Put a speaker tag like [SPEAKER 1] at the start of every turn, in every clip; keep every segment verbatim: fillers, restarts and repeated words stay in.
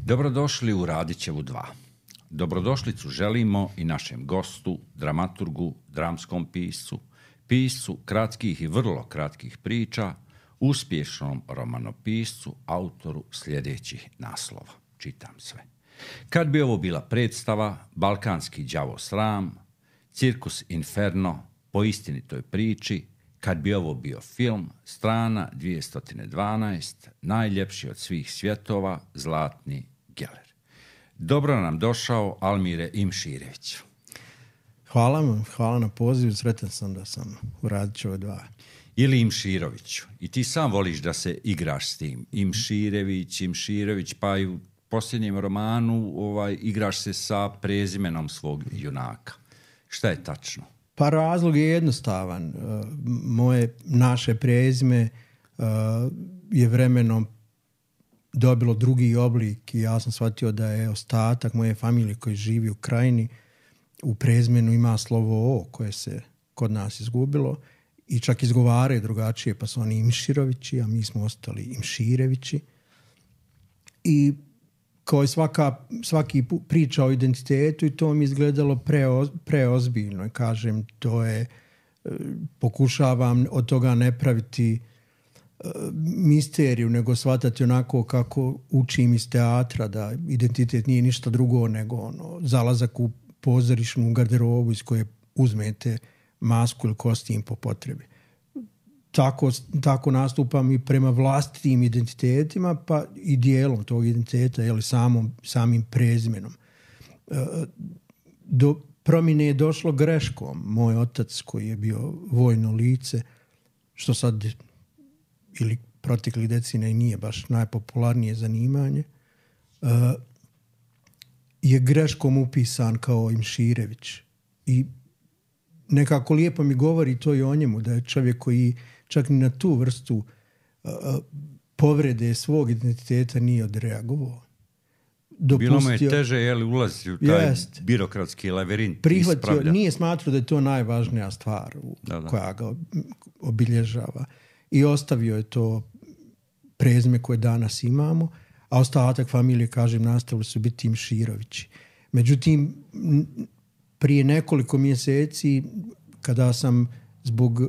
[SPEAKER 1] Dobrodošli u Radićevu dva. Dobrodošlicu želimo i našem gostu, dramaturgu, dramskom piscu, piscu kratkih i vrlo kratkih priča, uspješnom romanopiscu, autoru sljedećih naslova. Čitam sve. Kad bi ovo bila predstava, Balkanski đavo sram, Cirkus Inferno, po istinitoj priči, kad bi ovo bio film, strana dvjesto dvanaest, najljepši od svih svjetova, Zlatni Geller. Dobro nam došao, Almire Imširević.
[SPEAKER 2] Hvala vam, hvala na pozivu, sretan sam da sam u Radićevoj dva.
[SPEAKER 1] Ili Imširoviću. I ti sam voliš da se igraš s tim. Imširević, Imširović, pa i u posljednjem romanu ovaj, igraš se sa prezimenom svog junaka. Šta je tačno?
[SPEAKER 2] Pa razlog je jednostavan. Moje, naše prezime je vremenom dobilo drugi oblik i ja sam shvatio da je ostatak moje familije koji živi u Krajini u prezimenu ima slovo O koje se kod nas izgubilo i čak izgovaraju drugačije, pa su oni Imširovići, a mi smo ostali Imširevići. I kao i svaka, svaki priča o identitetu i to mi izgledalo preoz, preozbiljno. Kažem, to je, pokušavam od toga ne praviti misteriju, nego shvatati onako kako učim iz teatra, da identitet nije ništa drugo nego ono, zalazak u pozorišnu garderobu iz koje uzmete masku ili kostim po potrebi. Tako, tako nastupam i prema vlastitim identitetima, pa i dijelom tog identiteta, jeli, samom, samim prezimenom. Do promjene je došlo greškom. Moj otac, koji je bio vojno lice, što sad ili proteklih decenija i nije baš najpopularnije zanimanje, je greškom upisan kao Imširević. I nekako lijepo mi govori to i o njemu, da je čovjek koji čak ni na tu vrstu uh, povrede svog identiteta nije odreagovao. Dopustio,
[SPEAKER 1] bilo mu je teže je li ulaziti u taj
[SPEAKER 2] jest,
[SPEAKER 1] birokratski lavirint.
[SPEAKER 2] Prihvatio, nije smatrao da je to najvažnija stvar u, da, da. koja ga obilježava. I ostavio je to prezime koje danas imamo, a ostatak familije, kažem, nastavili su biti Imširovići. Međutim, prije nekoliko mjeseci, kada sam zbog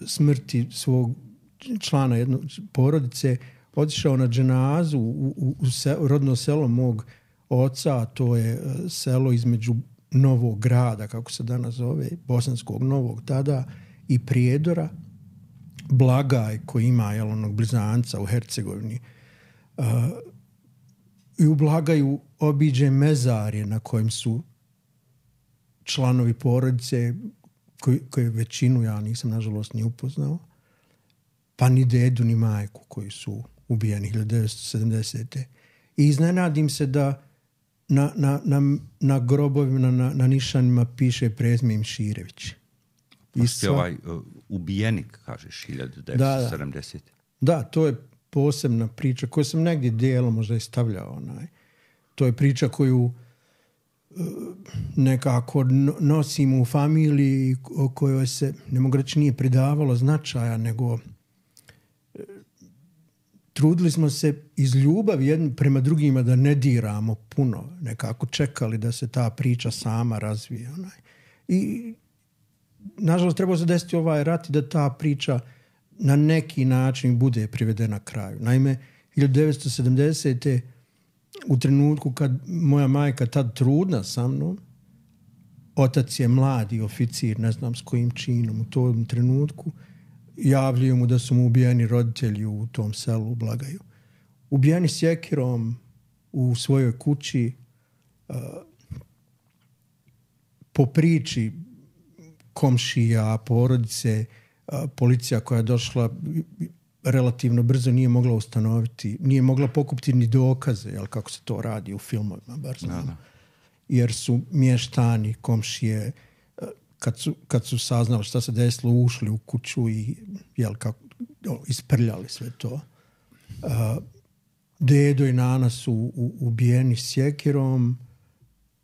[SPEAKER 2] smrti svog člana jedne porodice otišao na dženazu u, u, u, se, u rodno selo mog oca, a to je selo između Novog Grada, kako se danas zove, Bosanskog Novog tada, i Prijedora, Blagaj koji ima jel, onog blizanca u Hercegovini. Uh, I u Blagaju obiđe mezarje na kojem su članovi porodice koji, koji većinu ja nisam nažalost ni upoznao, pa ni dedu ni majku koji su ubijeni hiljadu devetsto sedamdesete. I iznenadim se da na, na, na, na grobovima, na, na nišanima piše prezime Imširević.
[SPEAKER 1] Pa ste ovaj uh, ubijenik, kažeš, hiljadu devetsto sedamdesete.
[SPEAKER 2] Da, da, to je posebna priča koju sam negdje dijelom možda i stavljao. Onaj. To je priča koju nekako nosimo u familiji o kojoj se, ne mogu reći, nije pridavalo značaja, nego trudili smo se iz ljubavi jedni prema drugima da ne diramo puno, nekako čekali da se ta priča sama razvije. Onaj. I nažalost trebao se desiti ovaj rat i da ta priča na neki način bude privedena kraju. Naime, hiljadu devetsto sedamdesete u trenutku kad moja majka tad trudna sa mnom, otac je mladi oficir, ne znam s kojim činom u tom trenutku, javljaju mu da su mu ubijeni roditelji u tom selu u Blagaju. Ubijeni sjekirom u svojoj kući, uh, po priči komšija, porodice, uh, policija koja je došla relativno brzo nije mogla ustanoviti, nije mogla pokupiti ni dokaze, jel, kako se to radi u filmovima, bar znam. Da, da. Jer su mještani, komšije, kad su, kad su saznali šta se desilo, ušli u kuću i jel, kako, isprljali sve to. Uh, dedo i nana su u, ubijeni sjekirom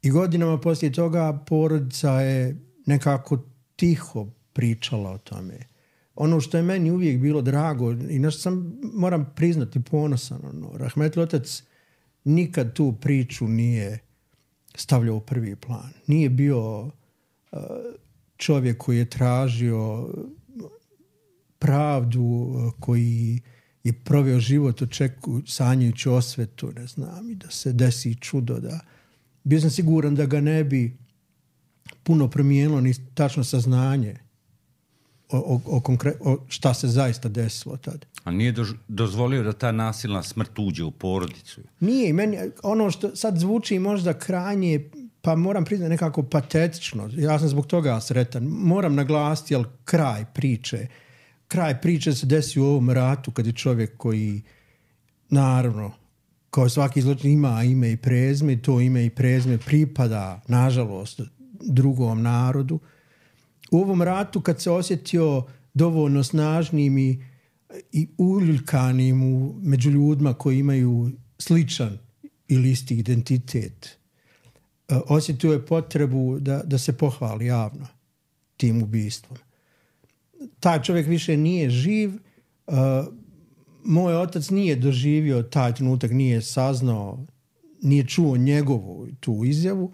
[SPEAKER 2] i godinama poslije toga porodica je nekako tiho pričala o tome. Ono što je meni uvijek bilo drago i na što sam, moram priznati, ponosan, ono, rahmetli otac nikad tu priču nije stavljao u prvi plan. Nije bio uh, čovjek koji je tražio pravdu, koji je proveo život očekuju, sanjajući osvetu, ne znam, i da se desi čudo. Da. Bio sam siguran da ga ne bi puno promijenilo ni tačno saznanje o, o, o, konkre, o šta se zaista desilo tad.
[SPEAKER 1] A nije dož, dozvolio da ta nasilna smrt uđe u porodicu?
[SPEAKER 2] Nije. Meni, ono što sad zvuči možda krajnje, pa moram priznati nekako patetično. Ja sam zbog toga sretan. Moram naglasiti, jel, kraj priče. Kraj priče se desi u ovom ratu kad je čovjek koji, naravno, kao svaki zločin ima ime i prezme, i to ime i prezme pripada, nažalost, drugom narodu. U ovom ratu kad se osjetio dovoljno snažnim i, i uljuljkanim u, među ljudima koji imaju sličan ili isti identitet, osjetio je potrebu da, da se pohvali javno tim ubistvom. Taj čovjek više nije živ. Uh, moj otac nije doživio taj trenutak, nije saznao, nije čuo njegovu tu izjavu.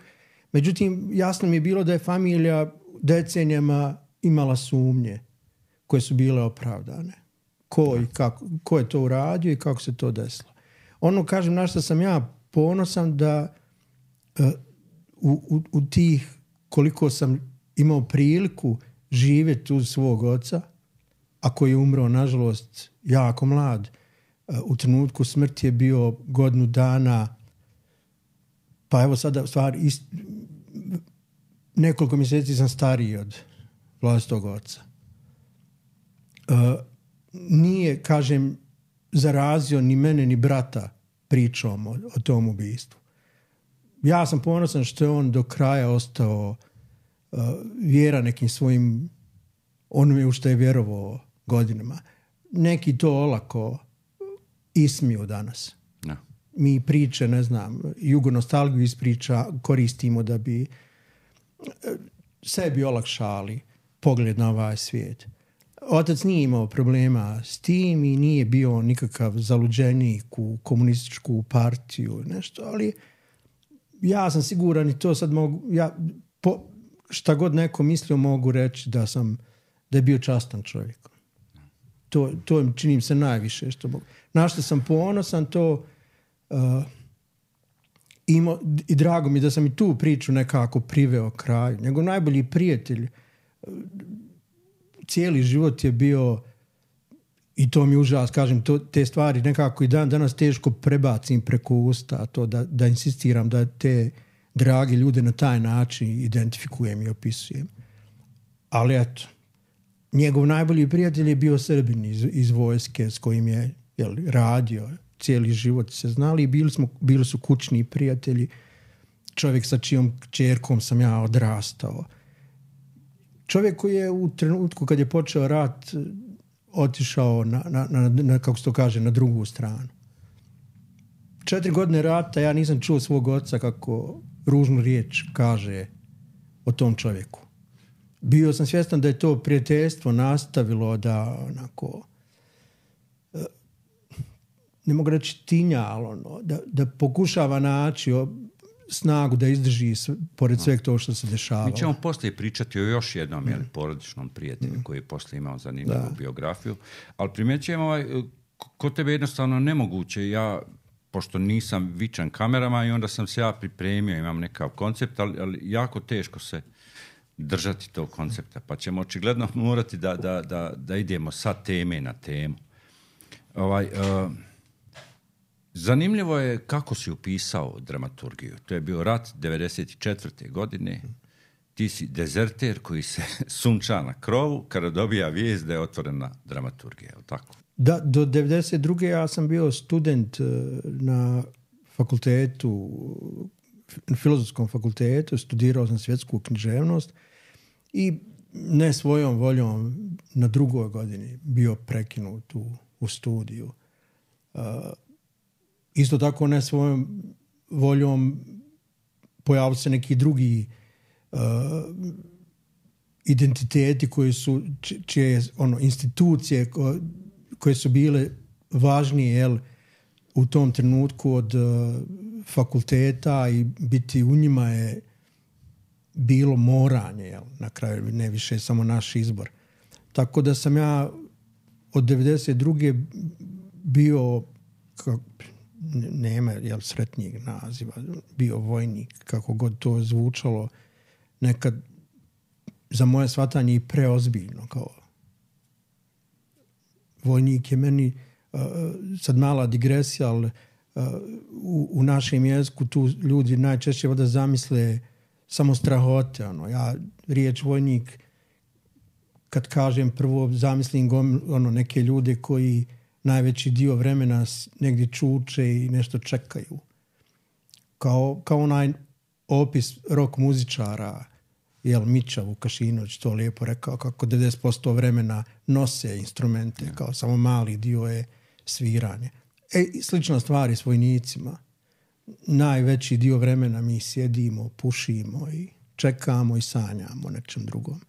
[SPEAKER 2] Međutim, jasno mi je bilo da je familija decenijama imala sumnje koje su bile opravdane. Ko, i kako, ko je to uradio i kako se to desilo. Ono, kažem, na što sam ja ponosan da uh, u, u, u tih koliko sam imao priliku živjeti uz svog oca, a koji je umro, nažalost, jako mlad. U trenutku smrti je bio godinu dana, pa evo sada stvar, ist, nekoliko mjeseci sam stariji od vlastitog oca. Uh, nije, kažem, zarazio ni mene ni brata pričom o, o tom ubistvu. Ja sam ponosan što je on do kraja ostao Uh, vjera nekim svojim onome u što je vjerovao godinama. Neki to olako ismiju danas. No. Mi priče, ne znam, jugonostalgiju iz priča koristimo da bi sebi olakšali pogled na ovaj svijet. Otac nije imao problema s tim i nije bio nikakav zaluđenik u komunističku partiju, nešto, ali ja sam siguran i to sad mogu, ja po, šta god neko mislio mogu reći da sam, da je bio častan čovjek. To, to činim se najviše što mogu. Na što sam ponosan, to uh, ima, i drago mi da sam i tu priču nekako priveo kraju. Njegov najbolji prijatelj uh, cijeli život je bio, i to mi užas, kažem, to, te stvari nekako i dan danas teško prebacim preko usta, to da, da insistiram da te dragi ljude na taj način identifikujem i opisujem. Ali eto, njegov najbolji prijatelj je bio Srbin iz, iz vojske s kojim je, jel, radio cijeli život, se znali i bili, smo, bili su kućni prijatelji. Čovjek sa čijom kćerkom sam ja odrastao. Čovjek koji je u trenutku kad je počeo rat otišao na, na, na, na, kako se to kaže, na drugu stranu. Četiri godine rata ja nisam čuo svog oca kako ružnu riječ kaže o tom čovjeku. Bio sam svjestan da je to prijateljstvo nastavilo da onako, ne mogu reći tinja, ali ono, da, da pokušava naći snagu da izdrži pored sveg to što se dešavalo.
[SPEAKER 1] Mi ćemo poslije pričati o još jednom mm. jeli, porodičnom prijatelju mm. koji je poslije imao zanimljivu da. biografiju, ali primjećujem ovaj, kod tebe jednostavno nemoguće. Ja, pošto nisam vičan kamerama i onda sam se ja pripremio, imam nekav koncept, ali, ali jako teško se držati tog koncepta, pa ćemo očigledno morati da, da, da, da idemo sa teme na temu. Ovaj, uh, zanimljivo je kako si upisao dramaturgiju. To je bio rat devedeset četvrte godine. Ti si dezerter koji se sunča na krovu kada dobija vijest da je otvorena dramaturgija, je li tako?
[SPEAKER 2] Da, do devedeset druge ja sam bio student na fakultetu, na filozofskom fakultetu, studirao sam svjetsku književnost i ne svojom voljom na drugoj godini bio prekinut u, u studiju. Uh, isto tako ne svojom voljom pojavili se neki drugi uh, identiteti koji su, čije ono, institucije ko, koje su bile važnije, jel, u tom trenutku od uh, fakulteta i biti u njima je bilo moranje, jel? Na kraju ne više samo naš izbor. Tako da sam ja od devedeset druge bio, kako, nema jel, sretnijeg naziva, bio vojnik, kako god to zvučalo, nekad za moje shvatanje i preozbiljno. Kao vojnik je meni, uh, sad mala digresija, ali uh, u, u našem jeziku tu ljudi najčešće voda zamisle samo strahote. Ono. Ja riječ vojnik, kad kažem prvo, zamislim gom, ono, neke ljude koji najveći dio vremena negdje čuče i nešto čekaju. Kao, kao onaj opis rock muzičara, jel, Mića Vukašinović to lijepo rekao, kako devedeset posto vremena nose instrumente, ja. Kao samo mali dio je sviranje. E, slična stvar i s vojnicima. Najveći dio vremena mi sjedimo, pušimo i čekamo i sanjamo nečem drugom.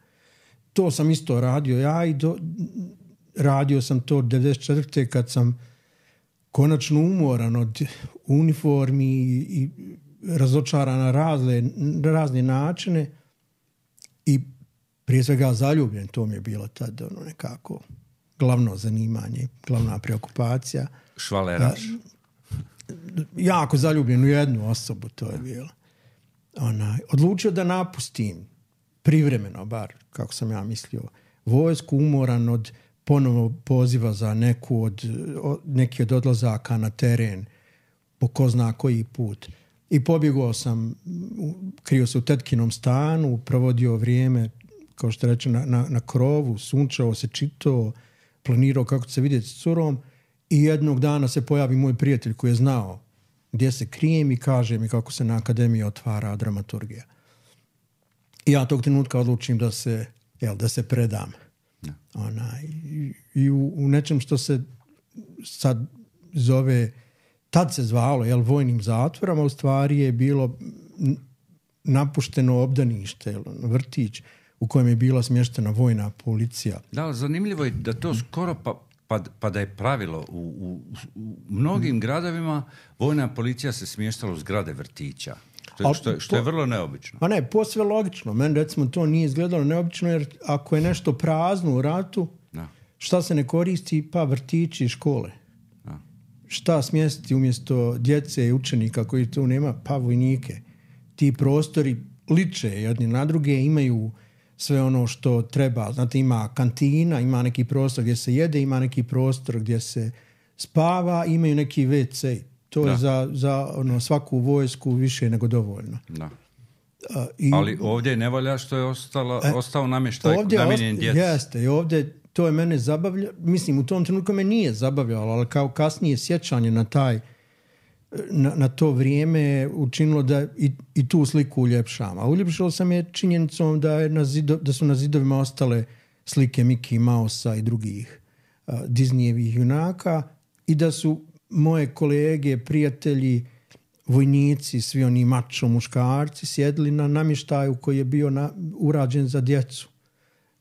[SPEAKER 2] To sam isto radio ja i do, radio sam to devedeset četvrte kad sam konačno umoran od uniformi i, i razočaran na razne, razne načine i prije svega zaljubljen. To mi je bilo tad ono nekako glavno zanimanje, glavna preokupacija.
[SPEAKER 1] Švaleraš.
[SPEAKER 2] Jako zaljubljen u jednu osobu to je bilo. Ona, odlučio da napustim privremeno, bar kako sam ja mislio, vojsku, umoran od ponovno poziva za neku od, od, neki od odlazaka na teren po ko zna koji put. I pobjegao sam, krio se u tetkinom stanu, provodio vrijeme, kao što reče, na, na, na krovu, sunčao se, čitao, planirao kako će se vidjeti s curom i jednog dana se pojavi moj prijatelj koji je znao gdje se krijem i kaže mi kako se na akademiji otvara dramaturgija. I ja tog trenutka odlučim da se, jel, da se predam. Ja. Ona, I, i u, u nečem što se sad zove, tad se zvalo, jel, vojnim zatvorama, u stvari je bilo napušteno obdanište, jel, vrtić u kojem je bila smještena vojna policija.
[SPEAKER 1] Da, zanimljivo je da to skoro pa, pa, pa da je pravilo. U, u, u mnogim gradovima vojna policija se smještala u zgrade vrtića. Što je, što je, što je vrlo neobično.
[SPEAKER 2] Pa ne, posve logično. Meni recimo to nije izgledalo neobično jer ako je nešto prazno u ratu, da. Šta se ne koristi? Pa vrtići i škole. Da. Šta smjestiti umjesto djece i učenika koji tu nema? Pa vojnike. Ti prostori liče jedni na druge, imaju sve ono što treba. Znate, ima kantina, ima neki prostor gdje se jede, ima neki prostor gdje se spava, imaju neki ve ce. To da. je za, za ono, svaku vojsku više nego dovoljno. Da.
[SPEAKER 1] Uh, i, Ali ovdje ne valja što je ostala, e, ostao namještaj namijenjen djeci.
[SPEAKER 2] Jeste, i ovdje to je mene zabavlja. Mislim, u tom trenutku me nije zabavljalo, ali kao kasnije sjećanje na taj na, na to vrijeme učinilo da i, i tu sliku uljepšam. A uljepšalo sam je činjenicom da, je na zido, da su na zidovima ostale slike Mickey Mousea i drugih uh, Disneyevih junaka i da su moje kolege, prijatelji, vojnici, svi oni mačo muškarci sjedli na namještaju koji je bio na, urađen za djecu.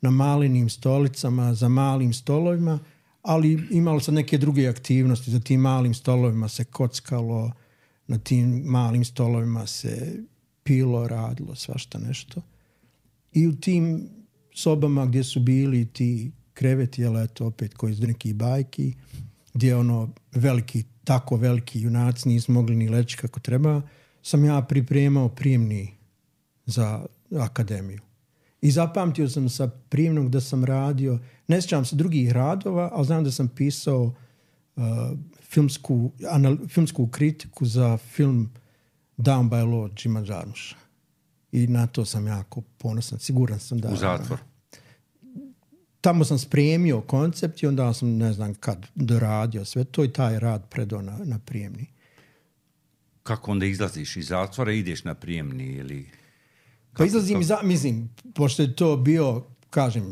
[SPEAKER 2] Na malenim stolicama, za malim stolovima, ali imalo se neke druge aktivnosti. Za tim malim stolovima se kockalo, na tim malim stolovima se pilo, radilo, svašta nešto. I u tim sobama gdje su bili ti kreveti, jel eto opet koji iz nekih bajki, gdje ono veliki, tako veliki junaci nisu mogli ni leći kako treba, sam ja pripremao prijemni za akademiju. I zapamtio sam sa prijemnog da sam radio, ne sjećam se drugih radova, ali znam da sam pisao uh, filmsku, anal, filmsku kritiku za film Down by Law Jima Jarmusha. I na to sam jako ponosan, siguran sam da...
[SPEAKER 1] U zatvor.
[SPEAKER 2] Tamo sam spremio koncept i onda sam, ne znam kad, doradio sve to i taj rad predao na, na prijemni.
[SPEAKER 1] Kako onda izlaziš iz zatvora i ideš na prijemni ili...
[SPEAKER 2] Pa izlazim iz, mislim, pošto je to bio, kažem,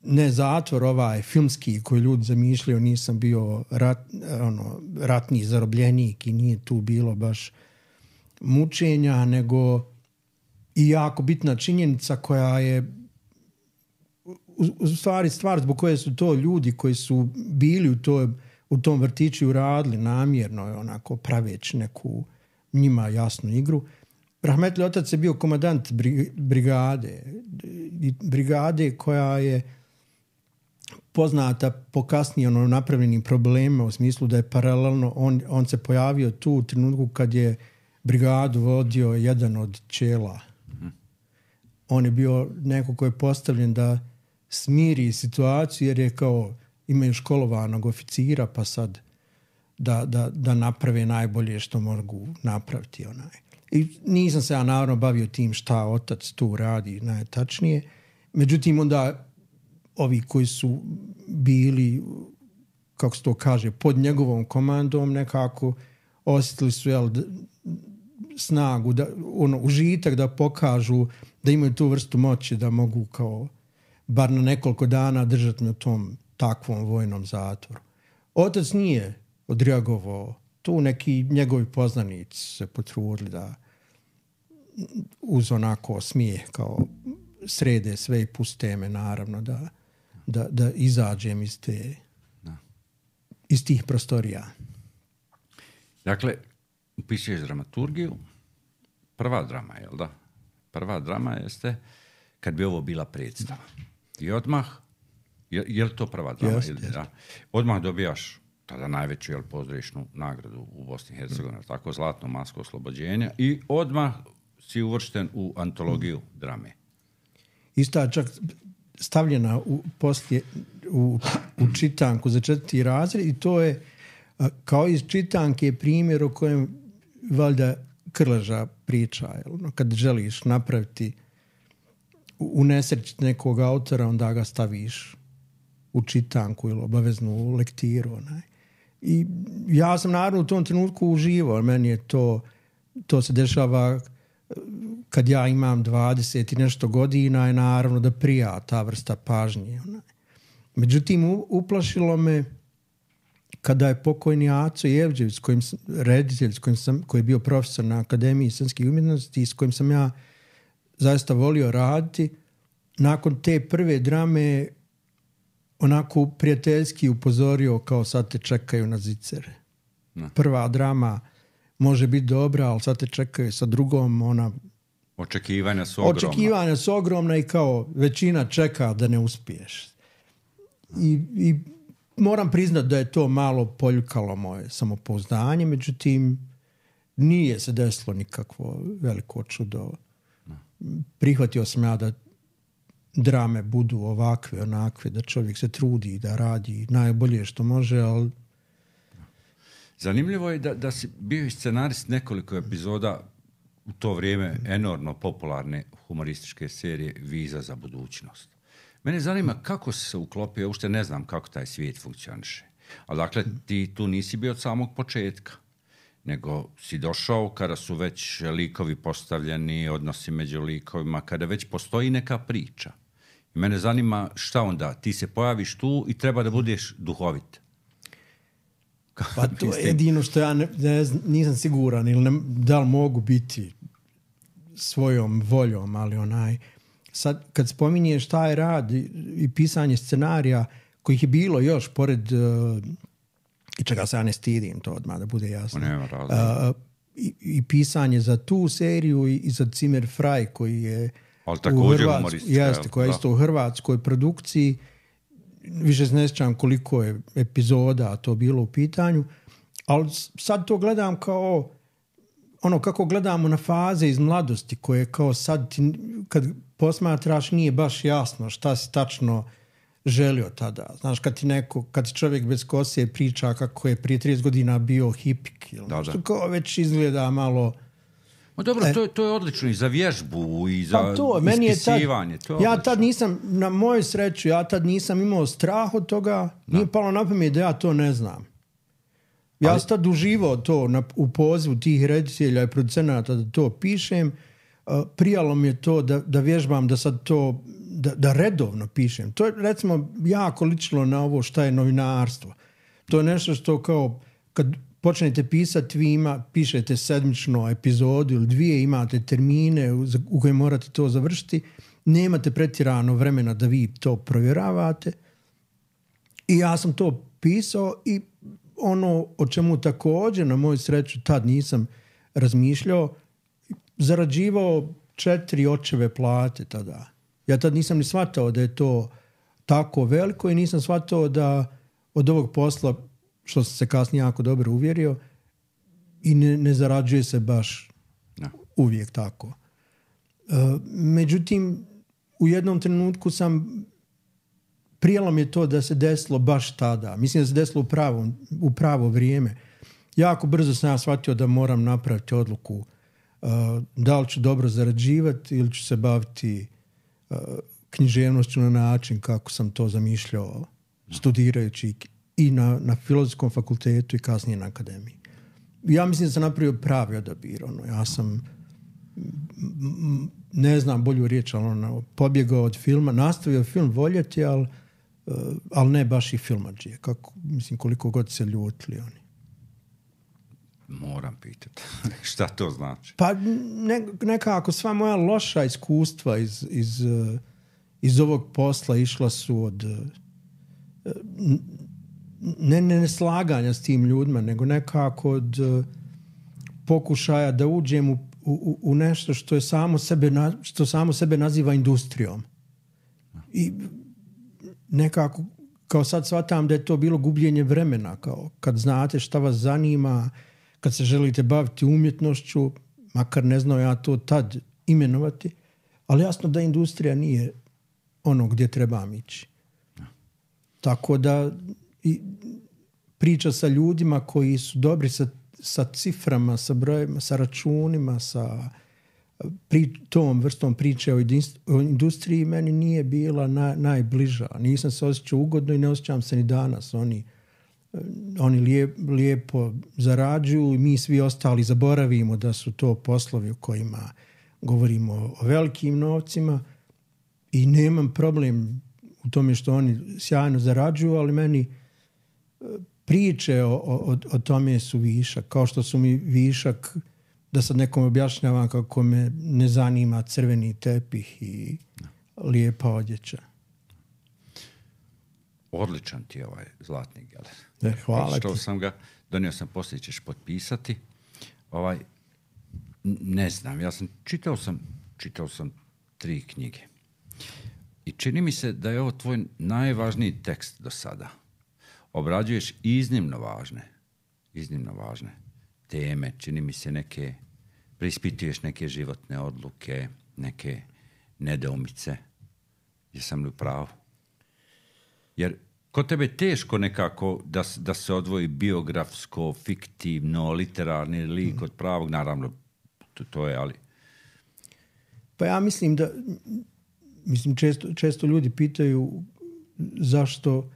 [SPEAKER 2] ne zatvor ovaj filmski koji ljudi zamišljaju, nisam bio rat, ono, ratni zarobljenik i nije tu bilo baš mučenja, nego i jako bitna činjenica koja je u stvari stvar zbog koje su to ljudi koji su bili u, to, u tom vrtiću uradili namjerno, onako praveći neku njima jasnu igru. Rahmetli otac je bio komandant brigade. Brigade koja je poznata po kasnije ono napravljenim problemima u smislu da je paralelno, on, on se pojavio tu u trenutku kad je brigadu vodio jedan od čela. Mm. On je bio neko ko je postavljen da smiri situaciju jer je kao imaju školovanog oficira pa sad da, da, da naprave najbolje što mogu napraviti. Onaj. I nisam se ja naravno bavio tim šta otac tu radi najtačnije. Međutim, onda ovi koji su bili, kako se to kaže, pod njegovom komandom nekako osjetili su jel, snagu, da, ono, užitak da pokažu da imaju tu vrstu moći da mogu kao bar na nekoliko dana držati na tom takvom vojnom zatvoru. Otac nije odreagovao. Tu neki njegovi poznanici se potrudili da uz onako smijeh kao srede sve i puste me naravno da, da, da izađem iz, te, da. iz tih prostorija.
[SPEAKER 1] Dakle, upisuješ dramaturgiju, prva drama, jel da? Prva drama jeste kad bi ovo bila predstava. I odmah, je, je li to prva drama?
[SPEAKER 2] Jest,
[SPEAKER 1] ili,
[SPEAKER 2] jest.
[SPEAKER 1] Da? Odmah dobijaš tada najveću jel, pozdravišnu nagradu u Bosni i Hercegovini, mm. tako Zlatno masko oslobođenja i odmah si uvršten u antologiju mm. drame.
[SPEAKER 2] Isto je čak stavljena u, poslije, u, u čitanku za četvrti razred i to je kao iz čitanke primjer o kojem valjda Krleža priča. Jel? Kad želiš napraviti unesrećiti nekog autora, onda ga staviš u čitanku ili obaveznu lektiru. Onaj. I ja sam naravno u tom trenutku uživao. Meni je to, to se dešava kad ja imam dvadeset i nešto godina i naravno da prija ta vrsta pažnje. Onaj. Međutim, uplašilo me kada je pokojni Aco Jevđević, kojim sam, reditelj, s kojim sam, koji je bio profesor na Akademiji scenskih umjetnosti i s kojim sam ja zaista volio raditi, nakon te prve drame onako prijateljski upozorio kao sad te čekaju na zicere. No. Prva drama može biti dobra, ali sad te čekaju sa drugom, ona...
[SPEAKER 1] Očekivanja su ogromna.
[SPEAKER 2] Očekivanja su ogromna i kao većina čeka da ne uspiješ. I, i moram priznati da je to malo poljukalo moje samopouzdanje, međutim nije se desilo nikakvo veliko čudo. No. Prihvatio sam ja da drame budu ovakve, onakve, da čovjek se trudi da radi najbolje što može, ali...
[SPEAKER 1] Zanimljivo je da, da si bio i scenarist nekoliko epizoda u to vrijeme enormno popularne humorističke serije Viza za budućnost. Mene zanima kako si se uklopio, ja uopšte ne znam kako taj svijet funkcioniše. Ali dakle, ti tu nisi bio od samog početka, nego si došao kada su već likovi postavljeni, odnosi među likovima, kada već postoji neka priča. I mene zanima šta onda, ti se pojaviš tu i treba da budeš duhovit.
[SPEAKER 2] Pa to je jedino što ja ne, ne, nisam siguran ili ne, da li mogu biti svojom voljom, ali onaj... Sad, kad spominješ taj rad i, i pisanje scenarija, kojih je bilo još, pored... Uh, i čega se ja ne stidim, to odmah da bude jasno. Uh, i, I pisanje za tu seriju i, i za Zimmer Frei, koji je...
[SPEAKER 1] Ali također humoristika.
[SPEAKER 2] Jeste, koja je isto u hrvatskoj produkciji. Više ne sjećam koliko je epizoda to bilo u pitanju, ali sad to gledam kao ono kako gledamo na faze iz mladosti koje kao sad ti, kad posmatraš nije baš jasno šta si tačno želio tada. Znaš, kad ti neko, kad ti čovjek bez kose priča kako je prije trideset godina bio hipik, da, da. Kao već izgleda malo...
[SPEAKER 1] Ma dobro, e, to, je, to je odlično i za vježbu i za pa to, meni ispisivanje.
[SPEAKER 2] Je tad, ja tad nisam, na moju sreću, ja tad nisam imao strah od toga, da. Nije palo na pamet da ja to ne znam. Ja Ali... sam tad uživao to na, u pozivu tih reditelja i producenata da to pišem. Uh, prijalo mi je to da, da vježbam, da sad to, da, da redovno pišem. To je recimo jako ličilo na ovo šta je novinarstvo. To je nešto što kao, kad počnete pisati, vi ima, pišete sedmično epizodu ili dvije, imate termine u, u koje morate to završiti, nemate pretjerano vremena da vi to provjeravate. I ja sam to pisao i ono o čemu također na moju sreću tad nisam razmišljao, zarađivao četiri očeve plate tada. Ja tad nisam ni shvatao da je to tako veliko i nisam shvatao da od ovog posla, što sam se kasnije jako dobro uvjerio, i ne, ne zarađuje se baš no. uvijek tako. Uh, međutim, u jednom trenutku sam prijelo mi je to da se desilo baš tada. Mislim da se desilo u pravo, u pravo vrijeme. Jako brzo sam ja shvatio da moram napraviti odluku uh, da li ću dobro zarađivati ili ću se baviti uh, književnošću na način kako sam to zamišljao studirajući i na, na Filozofskom fakultetu i kasnije na akademiji. Ja mislim da sam napravio pravi odabir. Ono. Ja sam, ne znam bolju riječ, ali ono, pobjegao od filma, nastavio film voljeti, ali, ali ne baš i filmadžije. Kako, mislim, koliko god se ljutili oni.
[SPEAKER 1] Moram pitati. Šta to znači?
[SPEAKER 2] Pa ne, nekako sva moja loša iskustva iz, iz, iz ovog posla išla su od ne, ne, ne slaganja s tim ljudima, nego nekako od pokušaja da uđem u, u, u nešto što je samo sebe, što samo sebe naziva industrijom. I nekako kao sad shvatam da je to bilo gubljenje vremena, kao kad znate šta vas zanima, kad se želite baviti umjetnošću, makar ne znao ja to tad imenovati, ali jasno da industrija nije ono gdje trebam ići. Tako da i priča sa ljudima koji su dobri sa, sa ciframa, sa brojima, sa računima, sa pri, tom vrstom priče o, o industriji meni nije bila na, najbliža. Nisam se osjećao ugodno i ne osjećam se ni danas. Oni Oni lijep, lijepo zarađuju i mi svi ostali zaboravimo da su to poslovi u kojima govorimo o velikim novcima i nemam problem u tome što oni sjajno zarađuju, ali meni priče o, o, o tome su višak. Kao što su mi višak da sad nekom objašnjavam kako me ne zanima crveni tepih i lijepa odjeća.
[SPEAKER 1] Odličan ti je ovaj zlatni geler.
[SPEAKER 2] Ne, hvala
[SPEAKER 1] što
[SPEAKER 2] ti.
[SPEAKER 1] sam ga, donio sam, poslije ćeš potpisati. Ovaj, ne znam, ja sam čitao sam, čitao sam tri knjige. I čini mi se da je ovo tvoj najvažniji tekst do sada. Obrađuješ iznimno važne, iznimno važne teme, čini mi se neke, preispituješ neke životne odluke, neke nedoumice. Jesam li u pravu? Jer kod tebe je teško nekako da, da se odvoji biografsko, fiktivno, literarni lik od pravog, naravno to, to je, ali...
[SPEAKER 2] Pa ja mislim da, mislim često, često ljudi pitaju zašto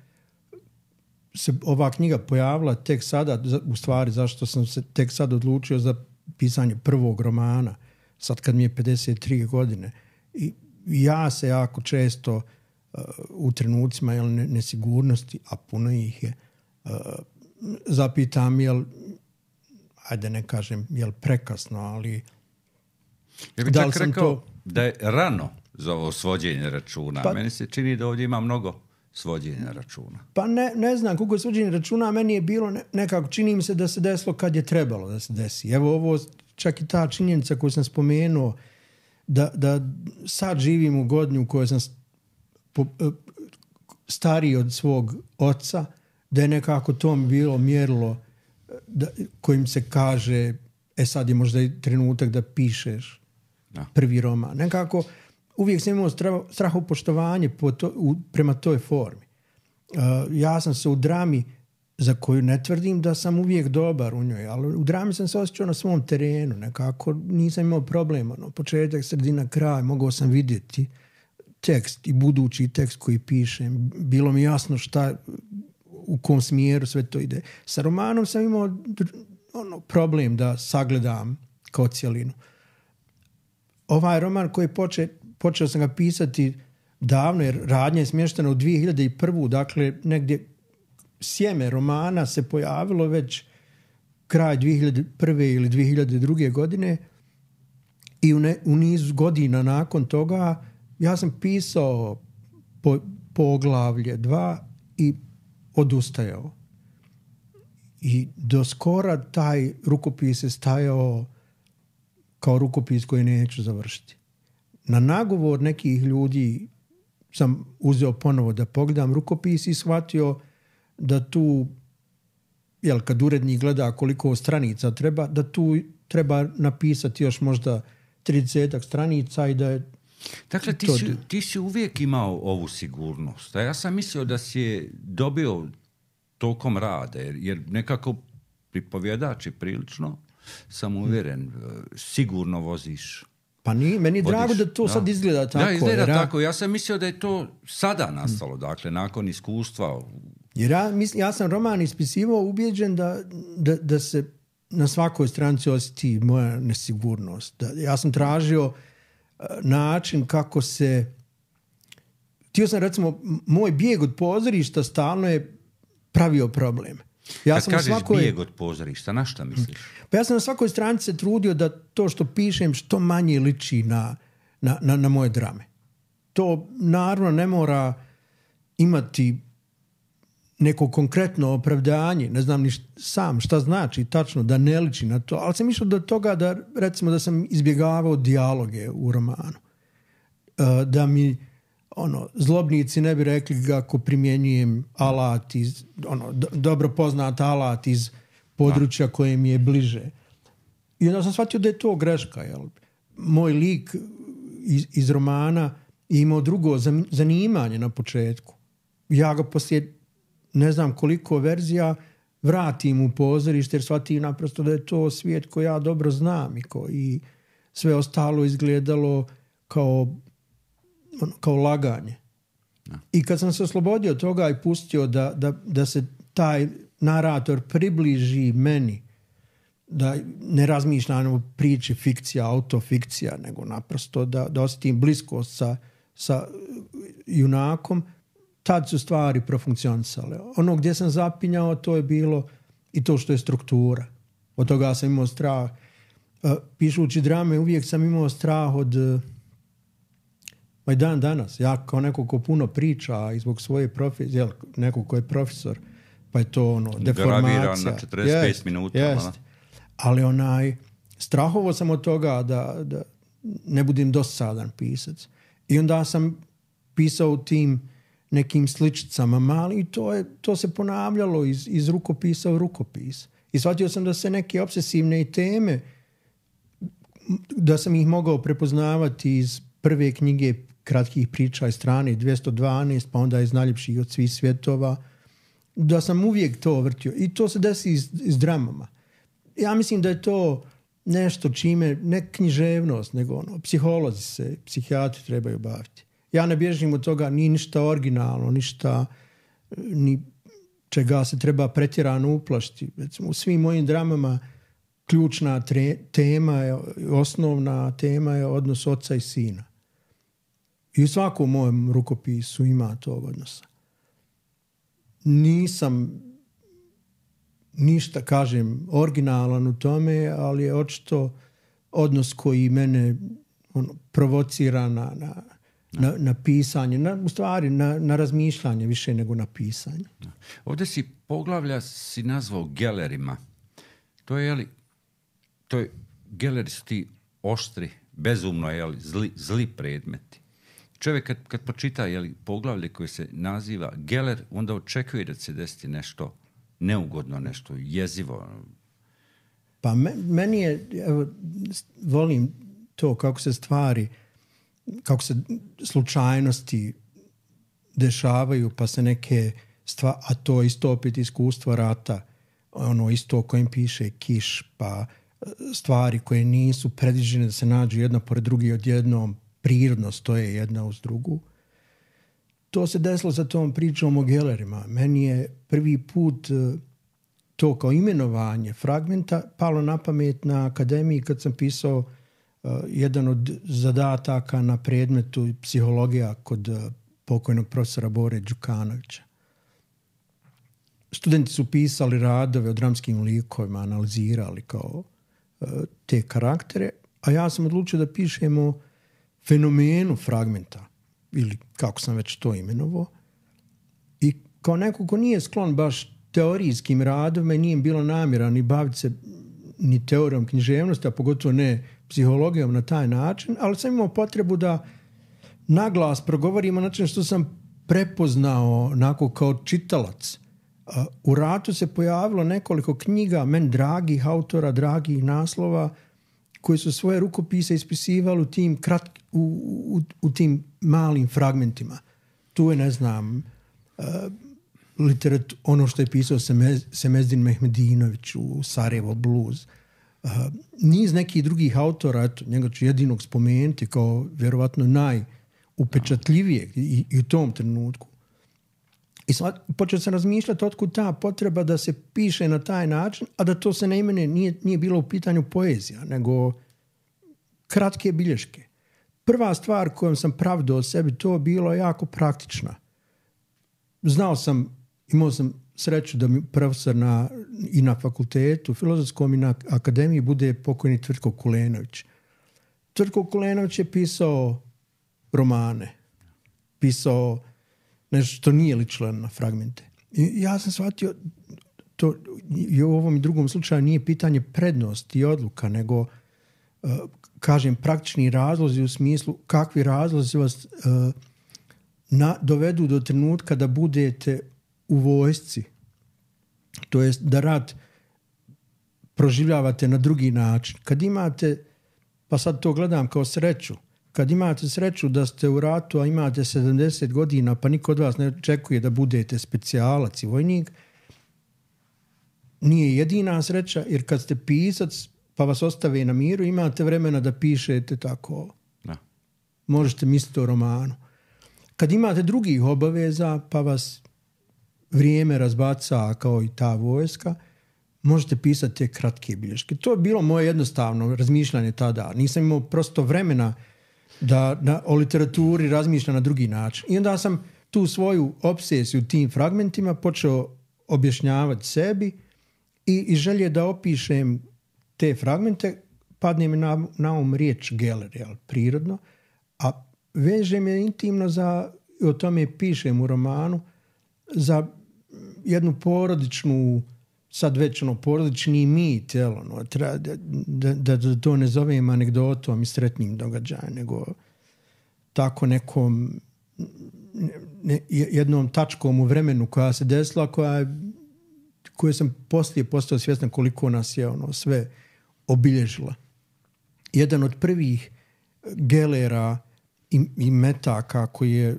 [SPEAKER 2] se ova knjiga pojavila tek sada, u stvari zašto sam se tek sad odlučio za pisanje prvog romana, sad kad mi je pedeset tri godine. I ja se jako često uh, u trenucima jel, nesigurnosti, a puno ih je, uh, zapitam jel, ajde ne kažem jel prekasno, ali
[SPEAKER 1] ja bih čak rekao to... da je rano za ovo svođenje računa. Pa, meni se čini da ovdje ima mnogo svođenja računa.
[SPEAKER 2] Pa ne, ne znam koliko je svođenje računa, meni je bilo ne, nekako, čini mi se da se desilo kad je trebalo da se desi. Evo ovo, čak i ta činjenica koju sam spomenuo, da, da sad živim u godini u kojoj sam po, stariji od svog oca, da je nekako to mi bilo mjerilo da, kojim se kaže e sad je možda i trenutak da pišeš no. prvi roman. Nekako uvijek sam imao strahopoštovanje po to, u, prema toj formi. Uh, ja sam se u drami, za koju ne tvrdim da sam uvijek dobar u njoj, ali u drami sam se osjećao na svom terenu. Nekako nisam imao problema. No, početak, sredina, kraj, mogao sam vidjeti tekst i budući tekst koji pišem. Bilo mi jasno šta, u kom smjeru sve to ide. Sa romanom sam imao ono, problem da sagledam kao cijelinu. Ovaj roman koji poče, počeo sam ga pisati davno, jer radnja je smještena u dvije hiljade prve. Dakle, negdje sjeme romana se pojavilo već kraj dvije hiljade prve ili dvije hiljade druge. godine i u, ne, u nizu godina nakon toga ja sam pisao po, poglavlje dva i odustajao. I do skora taj rukopis je stajao kao rukopis koji neću završiti. Na nagovor nekih ljudi sam uzeo ponovo da pogledam rukopis i shvatio da tu, jel, kad urednik gleda koliko stranica treba, da tu treba napisati još možda tridesetak stranica i da je...
[SPEAKER 1] Dakle, ti, to... si, ti si uvijek imao ovu sigurnost. A ja sam mislio da si je dobio tokom rada, jer, jer nekako pripovjedač je prilično, sam uvjeren, sigurno voziš.
[SPEAKER 2] Pa ni, meni je drago da to da. sad izgleda tako.
[SPEAKER 1] Da, izgleda
[SPEAKER 2] jer
[SPEAKER 1] tako. Ja sam mislio da je to sada nastalo, dakle, nakon iskustva.
[SPEAKER 2] Jer ja, mislim, ja sam roman ispisivao ubijeđen da, da, da se na svakoj stranici osjeti moja nesigurnost. Da, ja sam tražio uh, način kako se... Htio sam, recimo, moj bijeg od pozorišta stalno je pravio problem.
[SPEAKER 1] Ja Kad sam kažeš svakoj... bijeg od pozorišta, na šta misliš?
[SPEAKER 2] Pa ja sam na svakoj stranici se trudio da to što pišem što manje liči na, na, na, na moje drame. To naravno ne mora imati neko konkretno opravdanje, ne znam ni št, sam šta znači tačno da ne liči na to, ali sam išao do toga da, recimo, da sam izbjegavao dijaloge u romanu. Uh, da mi ono, zlobnici ne bi rekli kako primjenjujem alat iz, ono, do, dobro poznat alat iz područja da. koje mi je bliže. I onda sam shvatio da je to greška. Jel? Moj lik iz, iz romana je imao drugo zanimanje na početku. Ja ga poslije ne znam koliko verzija vratim u pozorište jer shvatim naprosto da je to svijet koji ja dobro znam i koji sve ostalo izgledalo kao kao laganje. No. I kad sam se oslobodio toga i pustio da, da, da se taj narator približi meni, da ne razmišljam o priči fikcija, autofikcija, nego naprosto da, da osjetim bliskost sa, sa junakom, tad su stvari profunkcionisale. Ono gdje sam zapinjao, to je bilo i to što je struktura. Od toga sam imao strah. Pišući drame, uvijek sam imao strah od... Pa i dan danas, ja kao neko ko puno priča i zbog svoje profesije, neko ko je profesor, pa je to ono, deformacija.
[SPEAKER 1] Graviran na četrdeset pet minuta.
[SPEAKER 2] Jest. Ali onaj, strahovo sam od toga da, da ne budem dosadan pisac. I onda sam pisao u tim nekim sličicama mali i to, je, to se ponavljalo iz, iz rukopisa u rukopis. I shvatio sam da se neke obsesivne teme, da sam ih mogao prepoznavati iz prve knjige kratkih priča iz strane dvjesto dvanaest, pa onda iz najljepših od svih svjetova, da sam uvijek to vrtio. I to se desi iz, iz dramama. Ja mislim da je to nešto čime, ne književnost, nego ono, psiholozi se, psihijatri trebaju baviti. Ja ne bježim od toga, ni ništa originalno, ništa ni čega se treba pretjerano uplašiti. Recimo, u svim mojim dramama ključna tre, tema je, osnovna tema je odnos oca i sina. I u svakom mojem rukopisu ima tog odnosa. Nisam ništa, kažem, originalan u tome, ali je očito odnos koji mene ono, provocira na, na, na, na pisanje, na, u stvari na, na razmišljanje više nego na pisanje.
[SPEAKER 1] Ovdje si poglavlja si nazvao gelerima. To je, jeli, to je, geleri su ti oštri, bezumno, jeli, zli, zli predmeti. Čovjek kad, kad počita jeli, poglavlje koje se naziva geler, onda očekuje da se desiti nešto neugodno, nešto jezivo.
[SPEAKER 2] Pa me, meni je, evo, volim to kako se stvari, kako se slučajnosti dešavaju, pa se neke stvari, a to isto opet iskustvo rata, ono isto o kojem piše Kiš, pa stvari koje nisu predviđene da se nađu jedna pored drugi odjednom, prirodno stoje jedna uz drugu. To se desilo sa tom pričom o gelerima. Meni je prvi put to kao imenovanje fragmenta palo na pamet na akademiji kad sam pisao uh, jedan od zadataka na predmetu psihologija kod uh, pokojnog profesora Bore Đukanovića. Studenti su pisali radove o dramskim likovima, analizirali kao uh, te karaktere, a ja sam odlučio da pišemo fenomenu fragmenta, ili kako sam već to imenovao. I kao neko ko nije sklon baš teorijskim radovima i nije bilo namjera ni baviti se ni teorijom književnosti, a pogotovo ne psihologijom na taj način, ali sam imao potrebu da naglas progovorim o način što sam prepoznao onako kao čitalac. U ratu se pojavilo nekoliko knjiga, meni dragih autora, dragih naslova, koji su svoje rukopise ispisivali u tim, krat, u, u, u tim malim fragmentima. Tu je, ne znam, uh, literat, ono što je pisao Semez, Semezdin Mehmedinović u Sarajevo Blues. Uh, niz nekih drugih autora, eto, njega ću jedinog spomenuti kao vjerovatno najupečatljivijeg i, i u tom trenutku. I sad počeo sam razmišljati otkud ta potreba da se piše na taj način, a da to se ne imene, nije, nije bilo u pitanju poezija, nego kratke bilješke. Prva stvar kojom sam pravdao o sebi, to bilo jako praktična. Znao sam, imao sam sreću da mi profesor na, i na fakultetu, filozofskom i na akademiji bude pokojni Tvrtko Kulenović. Tvrtko Kulenović je pisao romane, pisao nešto što nije ličilo na fragmente. I ja sam shvatio, to i u ovom i drugom slučaju nije pitanje prednosti i odluka, nego, uh, kažem, praktični razlozi u smislu kakvi razlozi vas uh, na, dovedu do trenutka da budete u vojsci. To jest da rat proživljavate na drugi način. Kad imate, pa sad to gledam kao sreću, kad imate sreću da ste u ratu, a imate sedamdeset godina, pa niko od vas ne očekuje da budete specijalac i vojnik, nije jedina sreća, jer kad ste pisac, pa vas ostave na miru, imate vremena da pišete tako. Da. Možete misliti o romanu. Kad imate drugih obaveza, pa vas vrijeme razbaca kao i ta vojska, možete pisati te kratke bilješke. To je bilo moje jednostavno razmišljanje tada. Nisam imao prosto vremena da na, o literaturi razmišljam na drugi način. I onda sam tu svoju obsesiju tim fragmentima počeo objašnjavati sebi i, i želje da opišem te fragmente, padne mi na, na um riječ Geller, jel, prirodno, a vežem je intimno za, o tome pišem u romanu, za jednu porodičnu, sad već ono, porodični mit, jel, ono, treba, da, da, da to ne zovem anegdotom i sretnim događajem, nego tako nekom ne, jednom tačkom u vremenu koja se desila, koja, koje sam poslije postao svjestan koliko nas je ono sve obilježila. Jedan od prvih Gellera i, i metaka koji je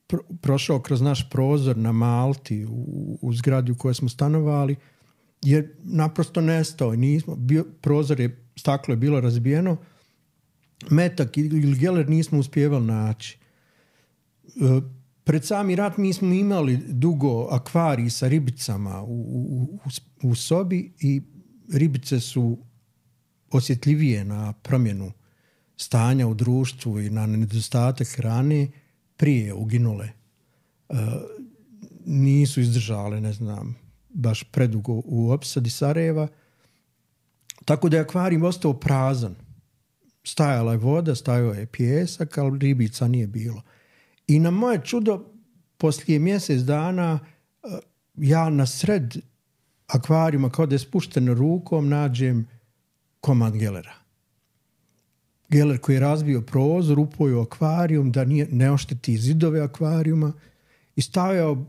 [SPEAKER 2] pro, prošao kroz naš prozor na Malti u, u zgradi u kojoj smo stanovali je naprosto nestao. Nismo, bio, prozor je, staklo je bilo razbijeno, metak ili Geller nismo uspjevali naći. E, pred sami rat mi smo imali dugo akvarij sa ribicama u, u, u, u sobi i ribice su osjetljivije na promjenu stanja u društvu i na nedostatak hrane prije uginule. E, nisu izdržale, ne znam, baš predugo u opsadi Sarajeva. Tako da je akvarij ostao prazan. Stajala je voda, stajao je pijesak, ali ribica nije bilo. I na moje čudo, poslije mjesec dana, ja na sred akvarijuma, kao da je spušteno rukom, nađem komad Gellera. Geller koji je razbio prozor, upojio akvarijum, da nije, ne ošteti zidove akvarijuma i stavio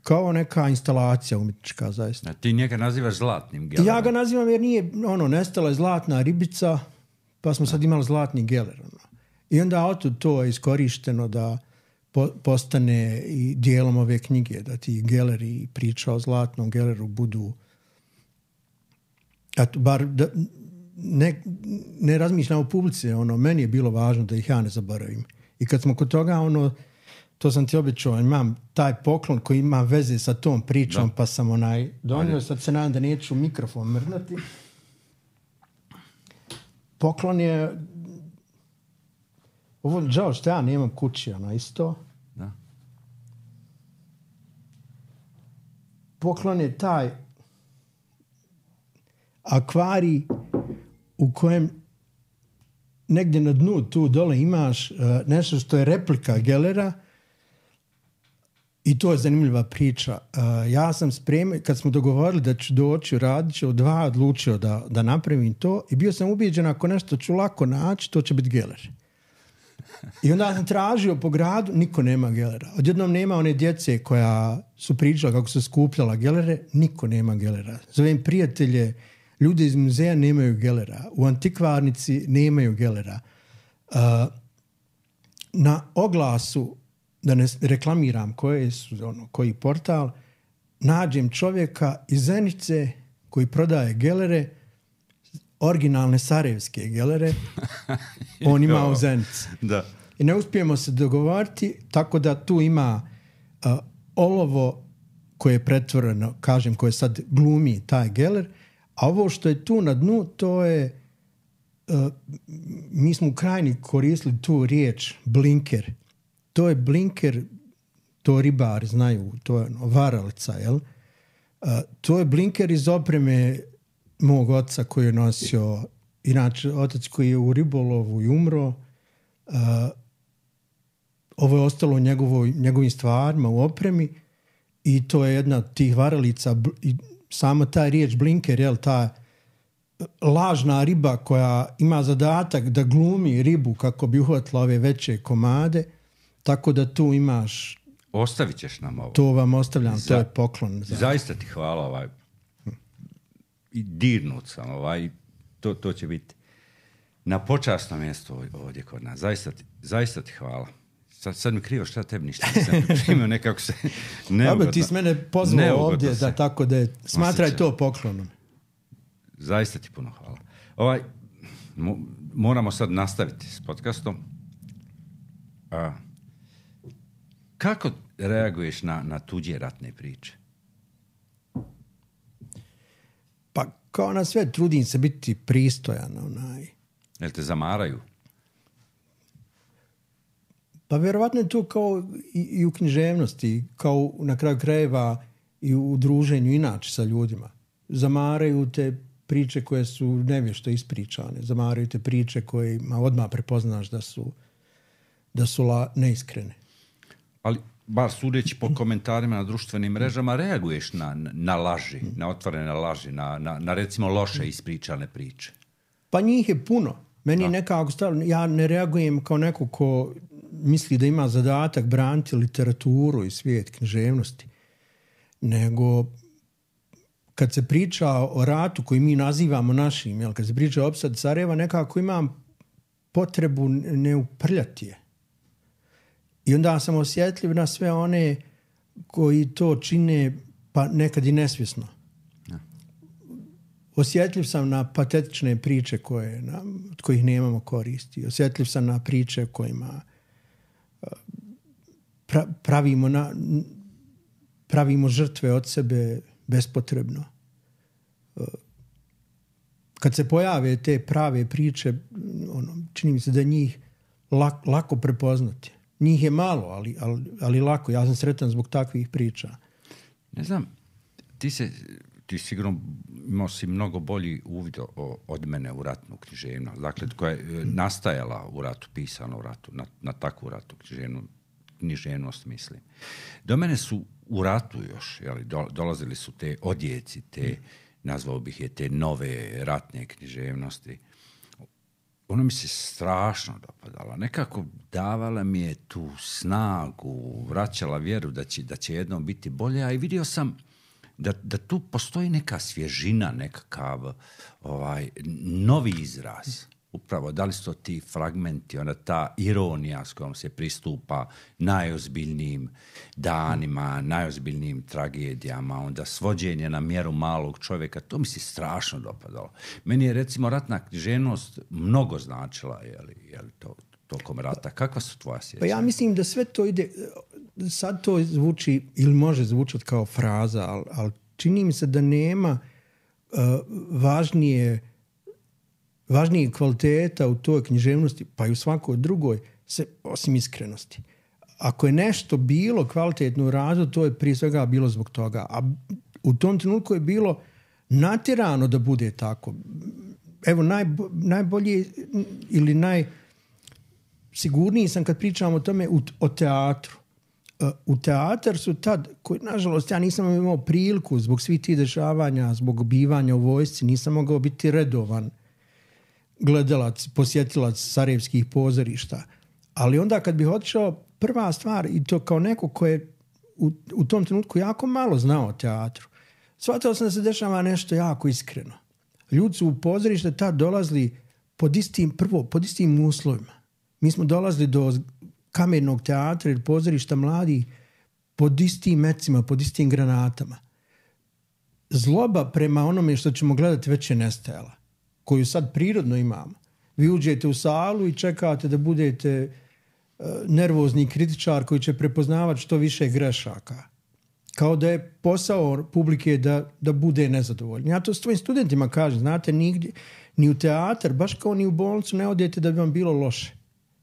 [SPEAKER 2] kao neka instalacija umjetnička, zaista.
[SPEAKER 1] A ti njega nazivaš zlatnim Gellerom?
[SPEAKER 2] Ja ga nazivam jer nije, ono, nestala je zlatna ribica, pa smo sad imali zlatni Geller. Ono. I onda otud to je iskorišteno da po, postane i dijelom ove knjige, da ti Geller i priča o zlatnom Gelleru budu, eto, bar da, ne, ne razmišljam o publici, ono, meni je bilo važno da ih ja ne zaboravim. I kad smo kod toga, ono, to sam ti običao, imam taj poklon koji ima veze sa tom pričom, da. Pa sam onaj donio, sad se nadam da neću mikrofon mrnati. Poklon je, ovo žao što ja nemam kući, ono isto. Da. Poklon je taj akvarij u kojem negdje na dnu tu dole imaš uh, nešto što je replika Gellera, I to je zanimljiva priča. Uh, ja sam spremio, kad smo dogovorili da ću doći, radit ću dva, odlučio da, da napravim to i bio sam ubijeđen ako nešto ću lako naći, to će biti geler. I onda sam tražio po gradu, niko nema gelera. Odjednom nema one djece koja su pričala kako su skupljala gelere, niko nema gelera. Zovem prijatelje, ljudi iz muzeja nemaju gelera. U antikvarnici nemaju gelera. Uh, na oglasu, da ne reklamiram koje su, ono, koji portal, nađem čovjeka iz Zenice koji prodaje gelere, originalne sarajevske gelere, on ima u Zenici.
[SPEAKER 1] Da.
[SPEAKER 2] I ne uspijemo se dogovoriti, tako da tu ima uh, olovo koje je pretvoreno, kažem, koje sad glumi taj geler, a ovo što je tu na dnu, to je, uh, mi smo u krajini koristili tu riječ blinker. To je blinker, to ribari znaju, to je ono, varalica, jel? Uh, to je blinker iz opreme mog oca koji je nosio, inače otac koji je u ribolovu i umro, uh, ovo je ostalo u njegovoj, njegovim stvarima u opremi i to je jedna od tih varalica i sama ta riječ blinker, jel, ta lažna riba koja ima zadatak da glumi ribu kako bi uhvatila ove veće komade, tako da tu imaš...
[SPEAKER 1] Ostavit ćeš nam ovo.
[SPEAKER 2] To vam ostavljam, za, to je poklon.
[SPEAKER 1] Za... Zaista ti hvala, ovaj, i dirnut sam, ovaj, to, to će biti na počasnom mjestu ovdje kod nas. Zaista ti, zaista ti hvala. Sad, sad mi krivo šta tebi ništa nisam primio, nekako se neugodno.
[SPEAKER 2] Ti s mene pozvao ovdje, da, tako da je, smatraj osjeća. To poklonom.
[SPEAKER 1] Zaista ti puno hvala. Ovaj, mo, moramo sad nastaviti s podcastom. A, kako reaguješ na, na tuđe ratne priče?
[SPEAKER 2] Pa kao na sve trudim se biti pristojan. Onaj.
[SPEAKER 1] Jel te zamaraju?
[SPEAKER 2] Pa vjerovatno je to kao i, i u književnosti, kao na kraju krajeva i u druženju inače sa ljudima. Zamaraju te priče koje su nevješto ispričane. Zamaraju te priče koje odmah prepoznaš da su, da su la, neiskrene.
[SPEAKER 1] Ali, bar sudeći po komentarima na društvenim mrežama, reaguješ na, na laži, na otvorene laži, na, na, na recimo loše ispričane priče?
[SPEAKER 2] Pa njih je puno. Meni nekako stavno, ja ne reagujem kao neko ko misli da ima zadatak braniti literaturu i svijet književnosti, nego kad se priča o ratu koji mi nazivamo našim, jel, kad se priča o opsadi Sarajeva, nekako imam potrebu ne uprljati je. I onda sam osjetljiv na sve one koji to čine, pa nekad i nesvjesno. Ja. Osjetljiv sam na patetične priče koje, na, od kojih nemamo koristi. Osjetljiv sam na priče kojima pra, pravimo, na, pravimo žrtve od sebe bespotrebno. Kad se pojave te prave priče, ono, čini mi se da njih lak, lako prepoznati. Njih je malo, ali, ali, ali lako. Ja sam sretan zbog takvih priča.
[SPEAKER 1] Ne znam, ti se, ti sigurno imao si mnogo bolji uvid o, od mene u ratnu književnost. Dakle, koja je nastajala u ratu, pisana u ratu, na, na takvu ratu književnost, književnost, mislim. Do mene su u ratu još, jeli, do, dolazili su te odjeci, te, nazvao bih je, te nove ratne književnosti. Ono mi se strašno dopadalo. Nekako davala mi je tu snagu, vraćala vjeru da će, da će jednom biti bolje, a i vidio sam da, da tu postoji neka svježina, nekakav ovaj, novi izraz. Upravo, da li su to ti fragmenti, onda ta ironija s kojom se pristupa najozbiljnijim danima, najozbiljnijim tragedijama, onda svođenje na mjeru malog čovjeka, to mi se strašno dopadalo. Meni je, recimo, ratna književnost mnogo značila, je li, je li to tokom rata. Kakva su tvoja sjećanja?
[SPEAKER 2] Pa ja mislim da sve to ide, sad to zvuči, ili može zvučati kao fraza, ali, ali čini mi se da nema uh, važnije važnije kvaliteta u toj književnosti, pa i u svakoj drugoj, se, osim iskrenosti. Ako je nešto bilo kvalitetno u radu, to je prije svega bilo zbog toga. A u tom trenutku je bilo natjerano da bude tako. Evo, najbo, najbolje ili najsigurniji sam kad pričam o tome u, o teatru. u teatar su tad, koji, nažalost, ja nisam imao priliku zbog svih tih dešavanja, zbog bivanja u vojsci, nisam mogao biti redovan gledalac, posjetilac sarajevskih pozorišta. Ali onda kad bih otišao, prva stvar, i to kao neko ko je u, u tom trenutku jako malo znao o teatru, shvatio sam da se dešava nešto jako iskreno. Ljudi su u pozorište tad dolazili pod istim, prvo, pod istim uslovima. Mi smo dolazili do kamernog teatra ili pozorišta mladih pod istim mecima, pod istim granatama. Zloba prema onome što ćemo gledati već je nestajala, koju sad prirodno imamo. Vi uđete u salu i čekate da budete uh, nervozni kritičar koji će prepoznavati što više grešaka. Kao da je posao publike da, da bude nezadovoljni. Ja to s tvojim studentima kažem, znate, nigdje, ni u teatar, baš kao ni u bolnicu ne odete da bi vam bilo loše.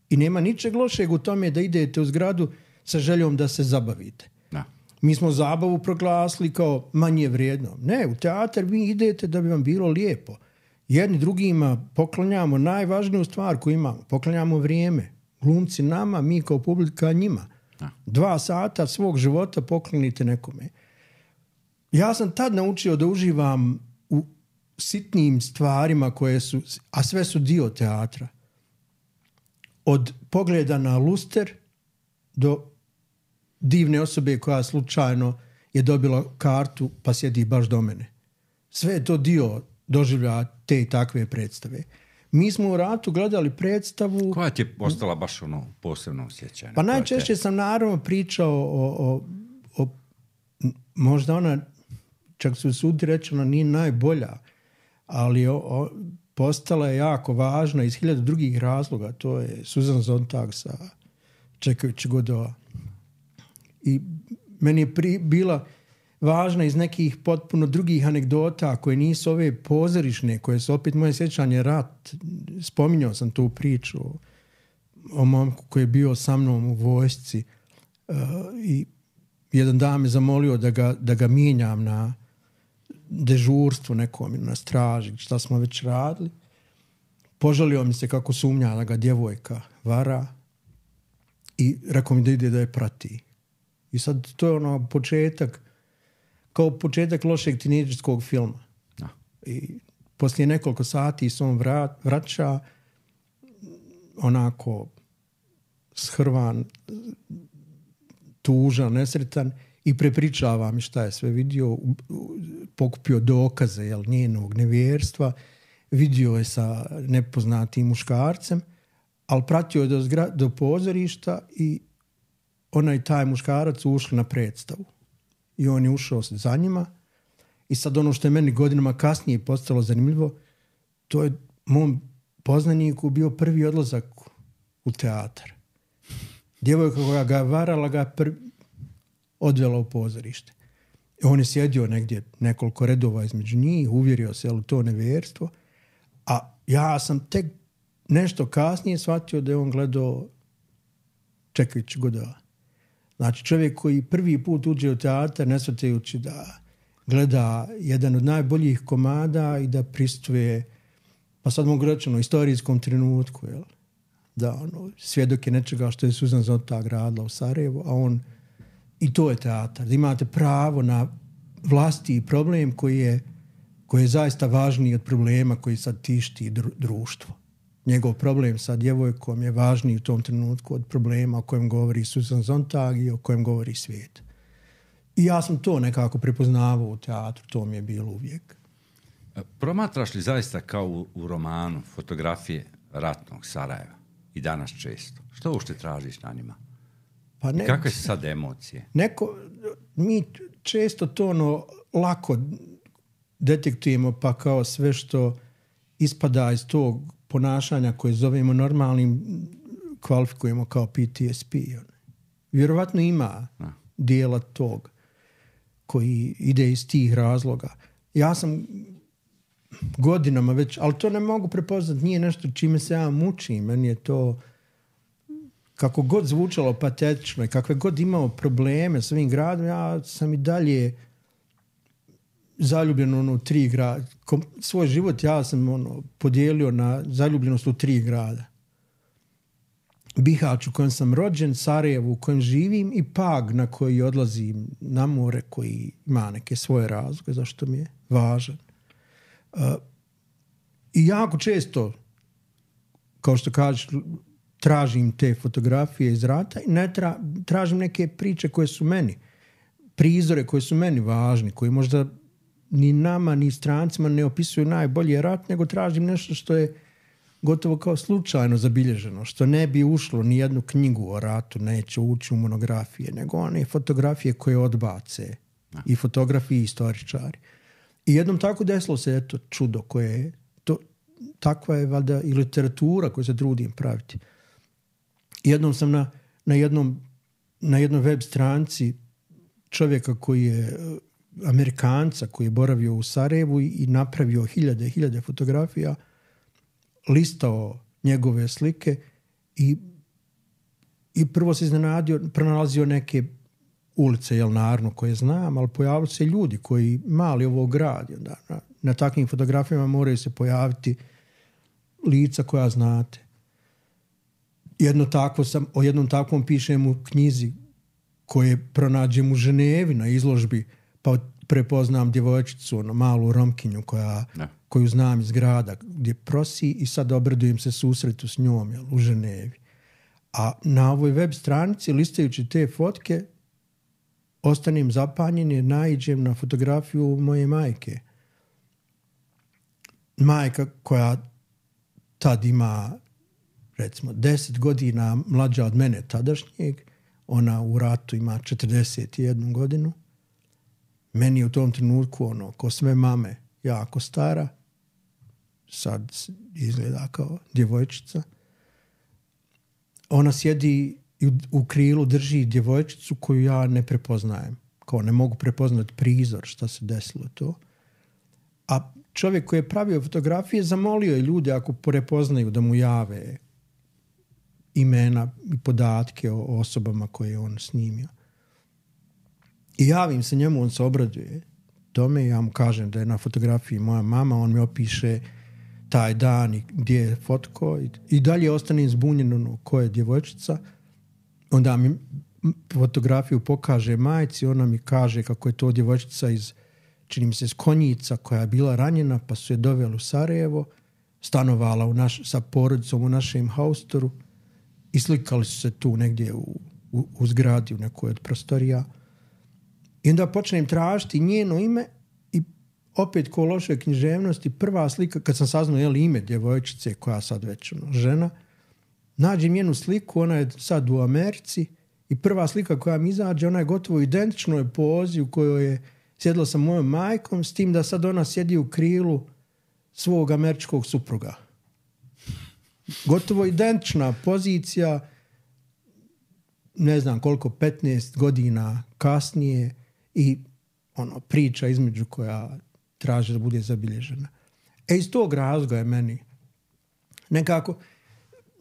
[SPEAKER 2] I nema ničeg lošeg u tome da idete u zgradu sa željom da se zabavite.
[SPEAKER 1] Da.
[SPEAKER 2] Mi smo zabavu proglasili kao manje vrijedno. Ne, u teatar vi idete da bi vam bilo lijepo. Jedni drugima poklanjamo najvažniju stvar koju imamo. Poklanjamo vrijeme. Glumci nama, mi kao publika njima. Da. Dva sata svog života poklonite nekome. Ja sam tad naučio da uživam u sitnim stvarima koje su, a sve su dio teatra. Od pogleda na luster do divne osobe koja slučajno je dobila kartu pa sjedi baš do mene. Sve je to dio doživlja te i takve predstave. Mi smo u ratu gledali predstavu...
[SPEAKER 1] Koja ti je ostala baš ono posebno osjećanje?
[SPEAKER 2] Pa najčešće te... sam naravno pričao o, o, o... Možda ona, čak su sudi rečeno, nije najbolja, ali o, o, postala je jako važna iz hiljada drugih razloga. To je Susan Sontag sa Čekajući Godova. I meni je pri, bila važna iz nekih potpuno drugih anegdota koje nisu ove pozorišne, koje su opet moje sjećanje rat. Spominjao sam tu priču o, o momku koji je bio sa mnom u vojsci uh, i jedan dan me zamolio da ga, da ga mijenjam na dežurstvo nekom ili na straži, šta smo već radili. Požalio mi se kako sumnja da ga djevojka vara i rekao mi da ide da je prati. I sad to je ono početak, kao početak lošeg tinejdžerskog filma. No. I poslije nekoliko sati se on vrat, vraća onako shrvan, tužan, nesretan i prepričava mi šta je sve vidio, pokupio dokaze jel, njenog nevjerstva, vidio je sa nepoznatim muškarcem, ali pratio je do, zgra, do pozorišta i onaj taj muškarac ušli na predstavu. I on je ušao za njima i sad ono što je meni godinama kasnije postalo zanimljivo, to je mom poznaniku bio prvi odlazak u teatar. Djevojka koja ga je varala ga prvi odvela u pozorište. I on je sjedio negdje nekoliko redova između njih, uvjerio se u to nevjerstvo, a ja sam tek nešto kasnije shvatio da je on gledao Čekajući Godova. Znači čovjek koji prvi put uđe u teatar ne shvatajući da gleda jedan od najboljih komada i da prisustuje, pa sad mogu reći, istorijskom trenutku, jel? Da ono, svjedok je nečega što je Susan Sontag radila u Sarajevu, a on, i to je teatar, da imate pravo na vlastiti problem koji je, koji je zaista važniji od problema koji sad tišti društvo. Njegov problem sa djevojkom je važniji u tom trenutku od problema o kojem govori Susan Sontag i o kojem govori svijet. I ja sam to nekako prepoznavao u teatru, to mi je bilo uvijek.
[SPEAKER 1] Promatraš li zaista kao u, u romanu fotografije ratnog Sarajeva i danas često? Što ušte tražiš na njima? Pa ne, kakve su sad emocije?
[SPEAKER 2] Neko, mi često to ono lako detektujemo, pa kao sve što ispada iz tog ponašanja koje zovemo normalnim kvalifikujemo kao P T S P. Vjerovatno ima A. dijela tog koji ide iz tih razloga. Ja sam godinama već, ali to ne mogu prepoznati, nije nešto čime se ja mučim. Meni je to kako god zvučalo patetično i kakve god imao probleme s ovim gradom, ja sam i dalje zaljubljen ono, u tri grada. Svoj život ja sam ono, podijelio na zaljubljenost u tri grada. Bihać u kojem sam rođen, Sarajevo u kojem živim i Pag na koji odlazim na more, koji ima neke svoje razloge zašto mi je važan. Uh, I jako često, kao što kažeš, tražim te fotografije iz rata i ne tra, tražim neke priče koje su meni, prizore koje su meni važni, koji možda ni nama, ni strancima ne opisuju najbolje rat, nego tražim nešto što je gotovo kao slučajno zabilježeno, što ne bi ušlo ni jednu knjigu o ratu, neće ući u monografije, nego one fotografije koje odbace no. i fotografi i istoričari. I jednom tako desilo se eto čudo koje je, to, takva je valjda i literatura koju se trudim praviti. Jednom sam na, na, jednom, na jednoj web stranci čovjeka koji je Amerikanca, koji je boravio u Sarajevu i, i napravio hiljade hiljade fotografija, listao njegove slike i, i prvo se iznenadio, pronalazio neke ulice, jel, naravno, koje znam, ali pojavili se ljudi koji mali ovo grad. Da, na, na takvim fotografijama moraju se pojaviti lica koja znate. Jedno takvo sam, o jednom takvom pišem u knjizi koje pronađem u Ženevi na izložbi, pa prepoznam djevojčicu, ono, malu Romkinju koja, koju znam iz grada gdje prosi i sad obradujem se susretu s njom, jel, u Ženevi. A na ovoj web stranici, listajući te fotke, ostanem zapanjen jer naiđem na fotografiju moje majke. Majka koja tad ima, recimo, deset godina mlađa od mene tadašnjeg, ona u ratu ima četrdeset jednu godinu. Meni je u tom trenutku, ono, ko sve mame, jako stara, sad izgleda kao djevojčica. Ona sjedi i u, u krilu drži djevojčicu koju ja ne prepoznajem. Kao ne mogu prepoznati prizor šta se desilo to. A čovjek koji je pravio fotografije zamolio je ljude ako prepoznaju da mu jave imena i podatke o osobama koje je on snimio. I javim se njemu, on se obraduje tome, ja mu kažem da je na fotografiji moja mama, on mi opiše taj dan i gdje je fotko i, i dalje ostanem zbunjen ono, ko je djevojčica. Onda mi fotografiju pokaže majci, ona mi kaže kako je to djevojčica iz, čini mi se, iz Konjica koja je bila ranjena, pa su je doveli u Sarajevo, stanovala u naš, sa porodicom u našem haustoru i slikali su se tu negdje u, u, u zgradi, u nekoj od prostorija. I onda počnem tražiti njeno ime i opet ko lošoj književnosti, prva slika, kad sam saznao je li ime djevojčice koja sad već ono, žena, nađem njenu sliku, ona je sad u Americi i prva slika koja mi izađe, ona je gotovo identičnoj pozi u kojoj je sjedila sa mojom majkom, s tim da sad ona sjedi u krilu svog američkog supruga. Gotovo identična pozicija, ne znam koliko, petnaest godina kasnije i ono, priča između koja traži da bude zabilježena. E iz tog razloga je meni nekako,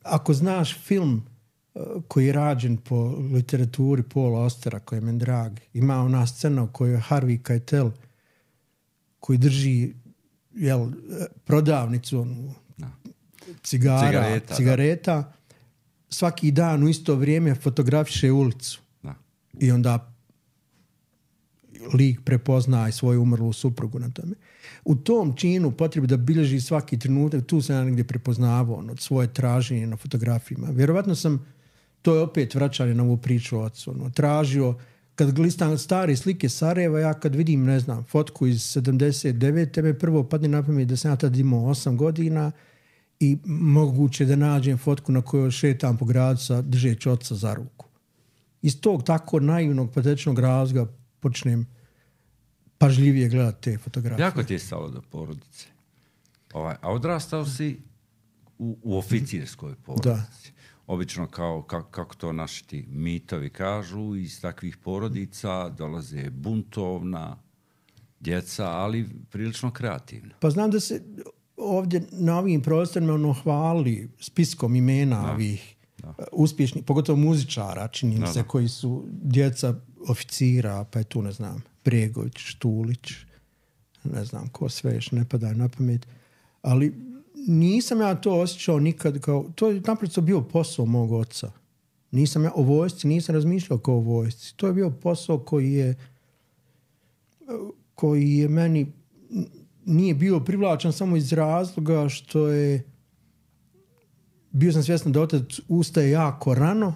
[SPEAKER 2] ako znaš film uh, koji je rađen po literaturi Paula Austera, koji je meni drag, ima ona scena u kojoj je Harvey Keitel koji drži, jel, prodavnicu onu, no. cigara, cigareta, cigareta svaki dan u isto vrijeme fotografiše ulicu. No. I onda lik prepozna i svoju umrlu suprugu na tome. U tom činu potrebi da bilježi svaki trenutak, tu sam ja negdje prepoznavao ono, od svoje traženje na fotografijama. Vjerovatno sam, to je opet vraćanje na ovu priču o ocu, ono, tražio, kad glistam stare slike Sarajeva, ja kad vidim, ne znam, fotku iz sedamdeset devete me prvo padne na pamet da sam ja tad imao osam godina i moguće da nađem fotku na kojoj šetam po gradu sa držeći oca za ruku. Iz tog tako naivnog, patetičnog razloga počnem pažljivije gledati te fotografije.
[SPEAKER 1] Jako ti je stalo do porodice. Ovaj, a odrastao si u, u oficirskoj porodici. Da. Obično, kao, kako, kako to naši ti mitovi kažu, iz takvih porodica dolaze buntovna djeca, ali prilično kreativna.
[SPEAKER 2] Pa znam da se ovdje na ovim prostorima ono hvali spiskom imena da. ovih da. uspješnih, pogotovo muzičara, čini mi se, koji su djeca oficira, pa je tu, ne znam, Bregović, Štulić, ne znam ko sve još ne pada na pamet, ali nisam ja to osjećao nikad kao, to je naprosto bio posao mog oca. Nisam ja o vojsci, nisam razmišljao kao o vojsci. To je bio posao koji je koji je meni nije bio privlačan samo iz razloga što je bio sam svjestan da otac ustaje jako rano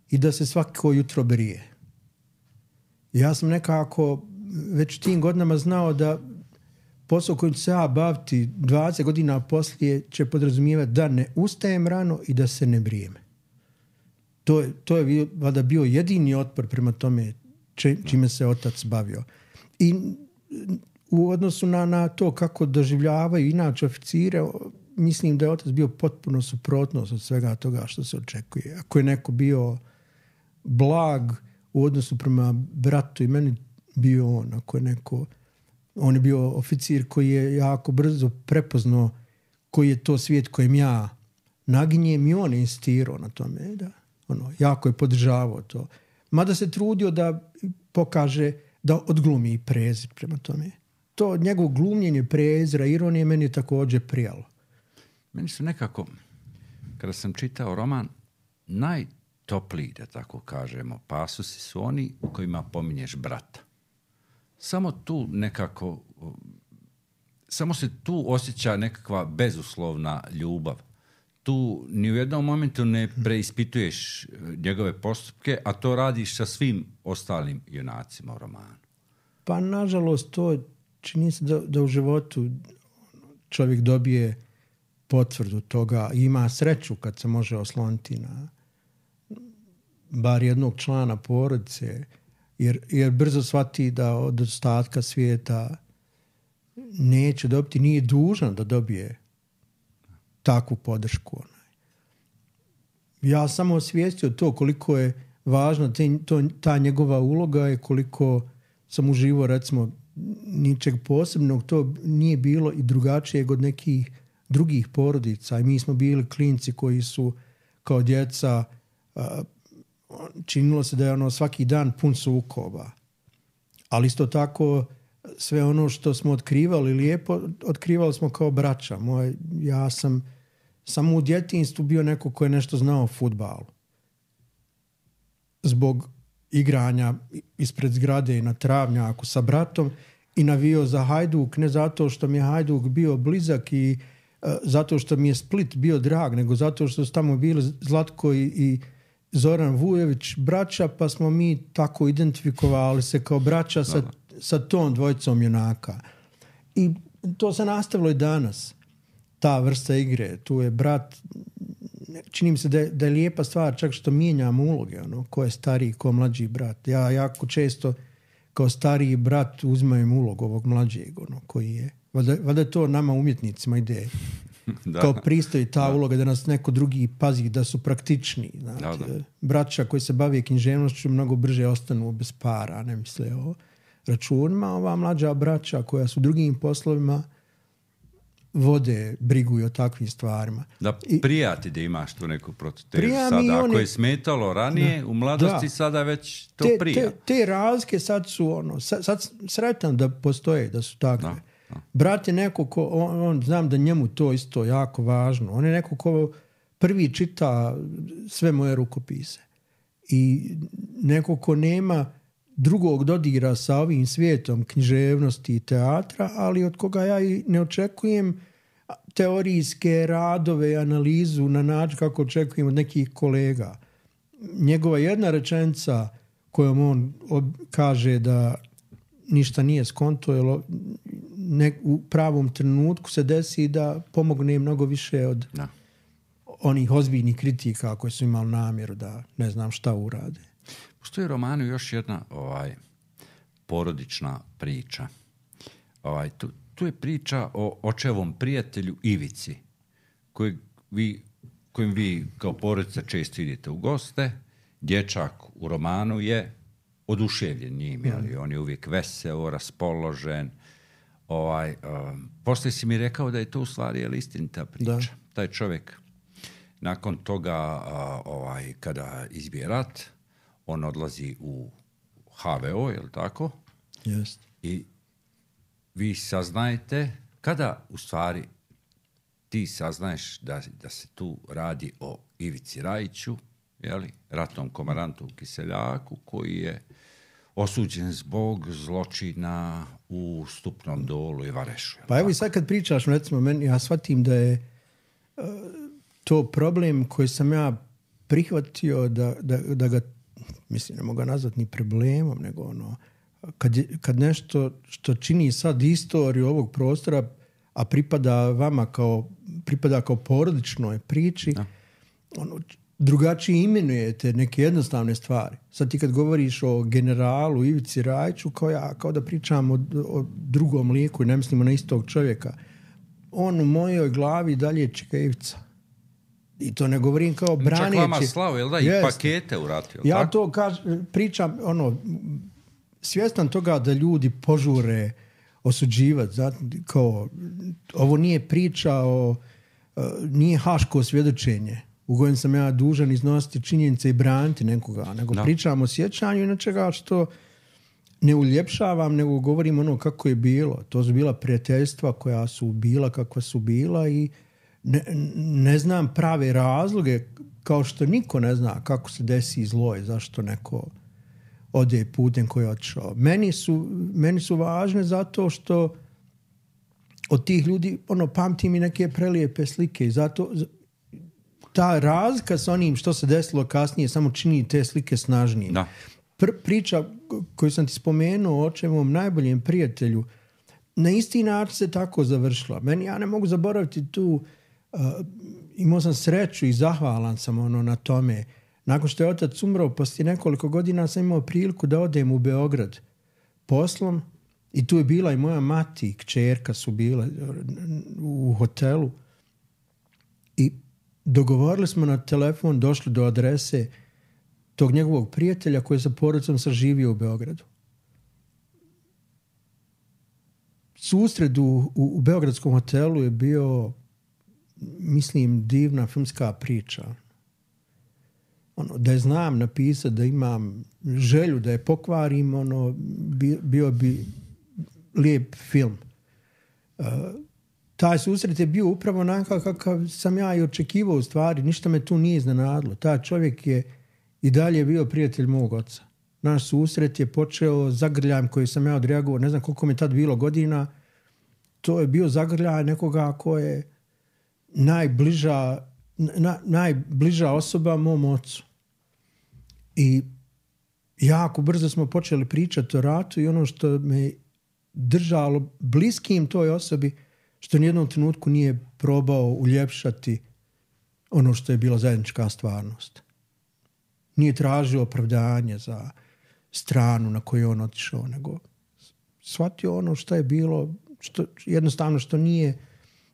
[SPEAKER 2] i da se svako jutro brije. Ja sam nekako već tim godinama znao da posao kojim ću se ja baviti dvadeset godina poslije će podrazumijevati da ne ustajem rano i da se ne brijem. To je, to je valjda bio jedini otpor prema tome či, čime se otac bavio. I u odnosu na, na to kako doživljavaju inače oficire, mislim da je otac bio potpuno suprotnost od svega toga što se očekuje. Ako je neko bio blag u odnosu prema bratu i meni, bio on. Ako je neko, on je bio oficir koji je jako brzo prepoznao koji je to svijet kojem ja naginjem i on je insistirao na tome. Da, ono, jako je podržavao to. Mada se trudio da pokaže da odglumi i prezir prema tome. To njegovo glumljenje prezira, ironije meni je također prijalo.
[SPEAKER 1] Meni su nekako, kada sam čitao roman, najtopliji, da tako kažemo, pasusi su oni u kojima pominješ brata. Samo tu nekako, samo se tu osjeća nekakva bezuslovna ljubav. Tu ni u jednom momentu ne preispituješ njegove postupke, a to radiš sa svim ostalim junacima u romanu.
[SPEAKER 2] Pa nažalost to čini se da, da u životu čovjek dobije potvrdu toga i ima sreću kad se može osloniti na bar jednog člana porodice, jer, jer brzo shvati da od ostatka svijeta neće dobiti, nije dužan da dobije takvu podršku. Ja sam osvijestio to koliko je važna te, to, ta njegova uloga i koliko sam uživao, recimo, ničeg posebnog, to nije bilo i drugačije od nekih drugih porodica. I mi smo bili klinci koji su kao djeca uh, činilo se da je ono svaki dan pun sukoba. Ali isto tako sve ono što smo otkrivali lijepo, otkrivali smo kao braća. Moj, ja sam samo u djetinjstvu bio neko ko je nešto znao o fudbalu. Zbog igranja ispred zgrade na travnjaku sa bratom i navio za Hajduk, ne zato što mi je Hajduk bio blizak i uh, zato što mi je Split bio drag, nego zato što su tamo bili Zlatko i, i Zoran Vujević braća, pa smo mi tako identifikovali se kao braća sa, sa tom dvojicom junaka. I to se nastavilo i danas. Ta vrsta igre. Tu je brat, čini mi se da je, da je lijepa stvar čak što mijenjamo uloge, ono, ko je stariji, ko mlađi brat. Ja jako često kao stariji brat uzmem ulogu ovog mlađeg, ono, koji je, valjda, valjda to nama umjetnicima ide da. Kao pristoji ta da. Uloga da nas neko drugi pazi, da su praktični. Znači, da, da. Braća koji se bave književnošću mnogo brže ostanu bez para, ne misle o računima. Ova mlađa braća koja su drugim poslovima vode, briguju o takvim stvarima.
[SPEAKER 1] Da prijati da imaš tu neku protutežu sada. Ako one, je smetalo ranije, da, u mladosti da. Sada već to te, prija.
[SPEAKER 2] Te, te razlike sad su ono, sad, sad sretan da postoje, da su takve. Da. Brat je neko ko, on, on, znam da njemu to isto jako važno. On je neko ko prvi čita sve moje rukopise. I neko ko nema drugog dodira sa ovim svijetom književnosti i teatra, ali od koga ja i ne očekujem teorijske radove i analizu na način kako očekujem od nekih kolega. Njegova jedna rečenica kojom on kaže da ništa nije skonto, jer ne, u pravom trenutku se desi da pomogne mnogo više od no. onih ozbiljnih kritika koji su imali namjeru da ne znam šta urade.
[SPEAKER 1] Postoji u romanu još jedna ovaj, porodična priča. Ovaj, tu, tu je priča o očevom prijatelju Ivici, kojeg vi, kojim vi kao porodica često idete u goste. Dječak u romanu je oduševljen njim, ali on je uvijek veseo, raspoložen. Ovaj, um, poslije si mi rekao da je to u stvari je istinita priča. Da. Taj čovjek nakon toga, uh, ovaj, kada izbije rat, on odlazi u ha ve o, je li tako?
[SPEAKER 2] Jest.
[SPEAKER 1] I vi saznajete kada u stvari ti saznaješ da, da se tu radi o Ivici Rajiću, jeli, ratnom komarantu u Kiseljaku, koji je osuđen zbog zločina u Stupnom Dolu i Varešu.
[SPEAKER 2] Pa evo i sad kad pričaš, recimo, meni, ja shvatim da je uh, to problem koji sam ja prihvatio da, da, da ga, mislim, ne mogu ga nazvati ni problemom, nego ono, kad, je, kad nešto što čini sad istoriju ovog prostora, a pripada vama kao, pripada kao porodičnoj priči, da. ono, drugačije imenujete neke jednostavne stvari. Sad ti kad govoriš o generalu Ivici Rajiću, kao ja, kao da pričam o, o drugom liku i ne mislimo na istog čovjeka. On u mojoj glavi dalje čeka Ivica. I to ne govorim kao braneći.
[SPEAKER 1] Čak vama slavu, jel da? I yes. pakete uratio.
[SPEAKER 2] Ja
[SPEAKER 1] tako?
[SPEAKER 2] to kaž, pričam, ono, svjestan toga da ljudi požure osuđivati. Kao, ovo nije priča o, nije haško svjedočenje u kojem sam ja dužan iznositi činjenice i braniti nekoga, nego no. pričam o sjećanju i nečega što ne uljepšavam, nego govorim ono kako je bilo. To su bila prijateljstva koja su bila kakva su bila i ne, ne znam prave razloge, kao što niko ne zna kako se desi zlo i zašto neko ode putem koji je otišao. Meni su, meni su važne zato što od tih ljudi ono, pamtim i neke prelijepe slike i zato ta razlika sa onim što se desilo kasnije samo čini te slike snažnije.
[SPEAKER 1] Da.
[SPEAKER 2] Pr- priča koju sam ti spomenuo o očevom najboljem prijatelju na isti način se tako završila. Meni, ja ne mogu zaboraviti tu, uh, imao sam sreću i zahvalan sam ono na tome. Nakon što je otac umro, poslije nekoliko godina sam imao priliku da odem u Beograd poslom i tu je bila i moja mati i kćerka su bile u hotelu i dogovorili smo na telefon, došli do adrese tog njegovog prijatelja koji je sa porodicom saživio u Beogradu. Susret u, u, u beogradskom hotelu je bio, mislim, divna filmska priča. Ono, da je znam napisati, da imam želju da je pokvarim, ono, bio bi lijep film. Uh, taj susret je bio upravo onakav kakav sam ja i očekivao u stvari. Ništa me tu nije iznenadilo. Taj čovjek je i dalje bio prijatelj mog oca. Naš susret je počeo zagrljajem koji sam ja odreagovao. Ne znam koliko mi tad bilo godina. To je bio zagrljaj nekoga ko je najbliža, na, najbliža osoba mom ocu. I jako brzo smo počeli pričati o ratu i ono što me držalo bliskim toj osobi, što nijednom trenutku nije probao uljepšati ono što je bila zajednička stvarnost. Nije tražio opravdanje za stranu na koju je on otišao, nego shvatio ono što je bilo, što, jednostavno što nije,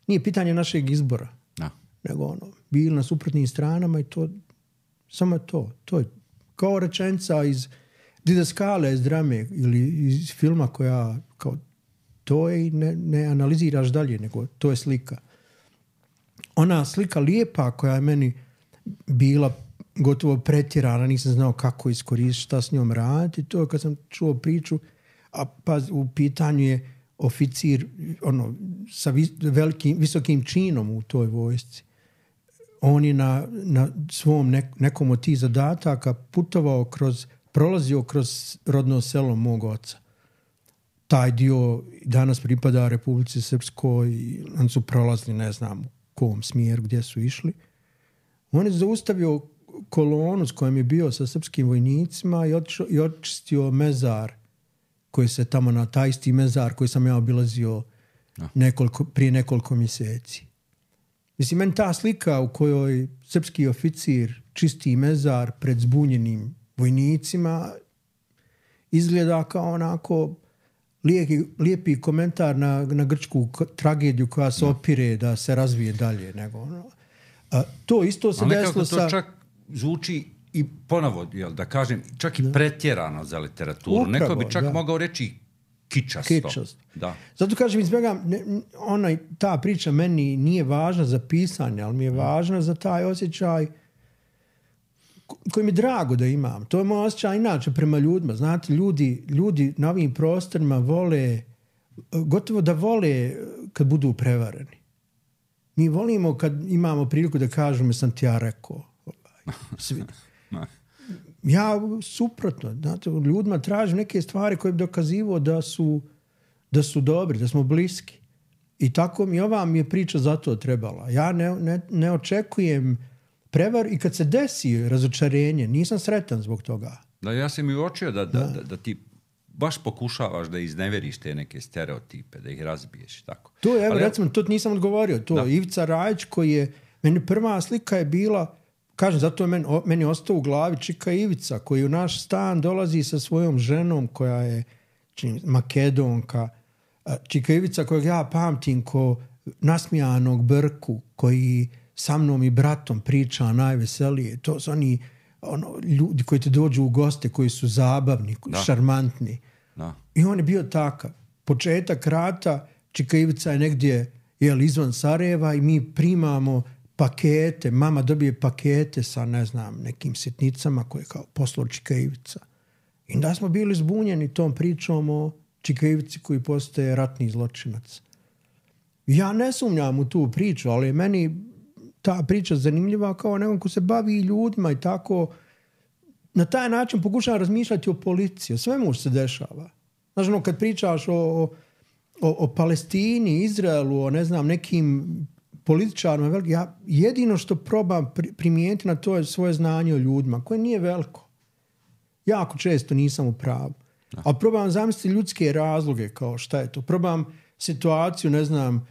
[SPEAKER 2] nije pitanje našeg izbora.
[SPEAKER 1] No.
[SPEAKER 2] Nego ono, bili na suprotnim stranama i to, samo je to. To je kao rečenica iz Didaskale, iz drame ili iz filma koja kao to je i ne, ne analiziraš dalje, nego to je slika. Ona slika lijepa koja je meni bila gotovo pretjerana, nisam znao kako iskoristiti, šta s njom raditi, to je kad sam čuo priču, a pa u pitanju je oficir ono, sa vis, velikim, visokim činom u toj vojsci. On je na, na svom nek, nekom od tih zadataka putovao kroz, prolazio kroz rodno selo mog oca. Taj dio danas pripada Republici Srpskoj i on su prolazili, ne znam u kom smjeru, gdje su išli. On je zaustavio kolonu s kojom je bio sa srpskim vojnicima i, otišao, i očistio mezar koji se tamo na taj isti mezar koji sam ja obilazio nekoliko, prije nekoliko mjeseci. Mislim, meni ta slika u kojoj srpski oficir čisti mezar pred zbunjenim vojnicima izgleda kao onako lijepi, lijepi komentar na, na grčku tragediju koja se opire da se razvije dalje. Nego, ono. A, to isto se desilo sa...
[SPEAKER 1] to čak zvuči i ponovo, jel, da kažem, čak i pretjerano za literaturu. Upravo, neko bi čak da. mogao reći kičasto.
[SPEAKER 2] Kičasto.
[SPEAKER 1] Da.
[SPEAKER 2] Zato kažem, izbjegam, onaj, ta priča meni nije važna za pisanje, ali mi je važna za taj osjećaj koji mi je drago da imam. To je moj osjećaj inače prema ljudima. Znate, ljudi, ljudi na ovim prostorima vole, gotovo da vole kad budu prevareni. Mi volimo kad imamo priliku da kažemo sam ti ja rekao. Svi. Ja suprotno. Znate, ljudima tražim neke stvari koje bi dokazivao da su, da su dobri, da smo bliski. I tako mi ova mi je priča zato trebala. Ja ne, ne, ne očekujem prevar i kad se desi razočarenje, nisam sretan zbog toga.
[SPEAKER 1] Da, ja sam i uočio da, da, da, da ti baš pokušavaš da izneveriš te neke stereotipe, da ih razbiješ. Tako.
[SPEAKER 2] To je, evo,
[SPEAKER 1] ali,
[SPEAKER 2] recimo, to nisam odgovorio. To da. Ivica Rajić koji je, meni prva slika je bila, kažem, zato je meni, meni ostao u glavi Čika Ivica, koji u naš stan dolazi sa svojom ženom koja je čini, Makedonka. Čika Ivica kojeg ja pamtim ko nasmijanog Brku, koji sa mnom i bratom priča najveselije. To su oni ono, ljudi koji te dođu u goste, koji su zabavni, da. šarmantni. Da. I on je bio takav. Početak rata, Čika Ivica je negdje jel, izvan Sarajeva i mi primamo pakete, mama dobije pakete sa, ne znam, nekim sitnicama koje je kao poslao Čika Ivica. I da smo bili zbunjeni tom pričom o Čika Ivici koji postaje ratni zločinac. Ja ne sumnjam u tu priču, ali meni ta priča zanimljiva kao nekom ko se bavi ljudima i tako na taj način pokušavam razmišljati o policiji, o svemu što se dešava. Znaš, ono, kad pričaš o, o, o Palestini, Izraelu, o ne znam, nekim političarima, ja jedino što probam primijeniti na to je svoje znanje o ljudima, koje nije veliko. Jako često nisam u pravu. A probam zamisliti ljudske razloge kao šta je to. Probam situaciju, ne znam,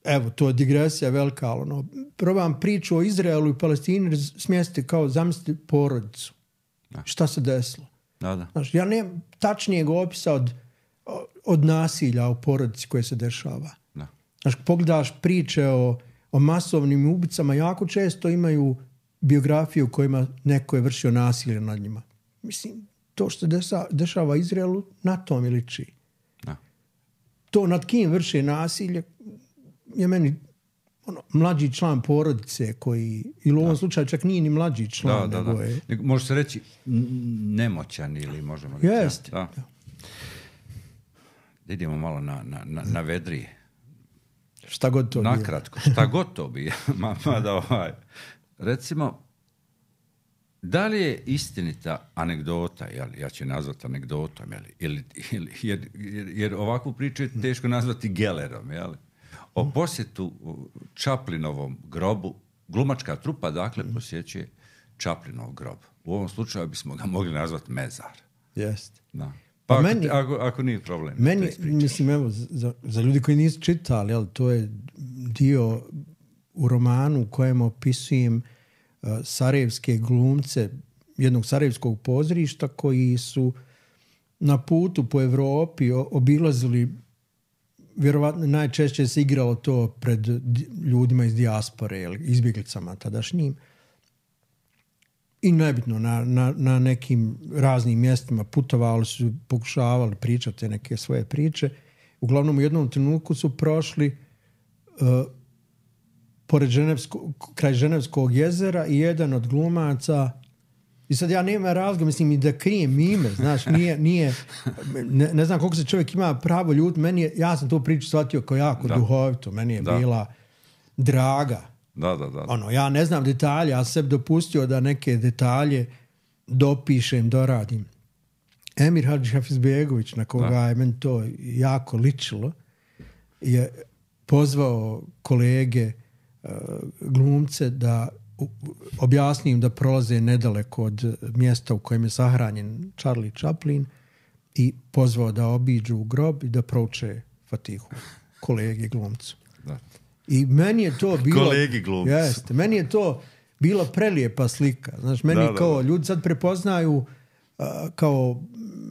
[SPEAKER 2] evo, to je digresija velika, ali ono, probam priču o Izraelu i Palestini smjestiti kao zamisliti porodicu. Da. Šta se desilo?
[SPEAKER 1] Da, da.
[SPEAKER 2] Znaš, ja nemam tačnijeg opisa od, od nasilja u porodici koje se dešava.
[SPEAKER 1] Da.
[SPEAKER 2] Znaš, pogledaš priče o, o masovnim ubicama, jako često imaju biografiju u kojima neko je vršio nasilje nad njima. Mislim, to što se desa, dešava Izraelu, na tom je liči. Da. To nad kim vrše nasilje je meni ono, mlađi član porodice koji, ili u ovom da. slučaju čak nije ni mlađi član. Da, nego da, da. Je...
[SPEAKER 1] Može se reći nemoćan ili možemo reći.
[SPEAKER 2] Jest.
[SPEAKER 1] Da. Da. Idemo malo na, na, na, na vedrije.
[SPEAKER 2] Šta god to
[SPEAKER 1] nakratko, šta god to bi. ma, ma da, ovaj. Recimo, da li je istinita anegdota, jel, ja ću nazvati anegdotom, jel, ili, ili, jer, jer, jer ovakvu priču je teško nazvati gelerom, jel? O posjetu Chaplinovom grobu, glumačka trupa, dakle, posjećuje Chaplinov grob. U ovom slučaju bismo ga mogli nazvati mezar.
[SPEAKER 2] Jest.
[SPEAKER 1] Da. Pa, pa ako, meni, ako, ako nije problem.
[SPEAKER 2] Meni, mislim, evo, za, za ljudi koji nisu čitali, jel, to je dio u romanu u kojem opisujem uh, sarajevske glumce jednog sarajevskog pozorišta koji su na putu po Evropi obilazili, vjerovatno najčešće se igralo to pred ljudima iz dijaspore, izbjeglicama tadašnjim. I nebitno, na, na, na nekim raznim mjestima putovali su, pokušavali pričati neke svoje priče. Uglavnom u jednom trenutku su prošli uh, pored Ženevsko, kraj Ženevskog jezera i jedan od glumaca, i sad ja nema razloga, mislim, i da krijem ime, znaš, nije, nije ne, ne znam koliko se čovjek ima pravo ljuditi, meni je, ja sam tu priču shvatio kao jako da. duhovito, meni je da. bila draga.
[SPEAKER 1] Da, da, da.
[SPEAKER 2] Ono, ja ne znam detalje, ja sam dopustio da neke detalje dopišem, doradim. Emir Hadžihafizbegović, na koga da. je meni to jako ličilo, je pozvao kolege uh, glumce da objasnim da prolaze nedaleko od mjesta u kojem je sahranjen Charlie Chaplin i pozvao da obiđu u grob i da prouče Fatihu kolegi glumcu. Da. I meni je to bilo...
[SPEAKER 1] Kolegi glumcu.
[SPEAKER 2] Jeste, meni je to bila prelijepa slika. Znaš, meni da, kao da, da. ljudi sad prepoznaju uh, kao,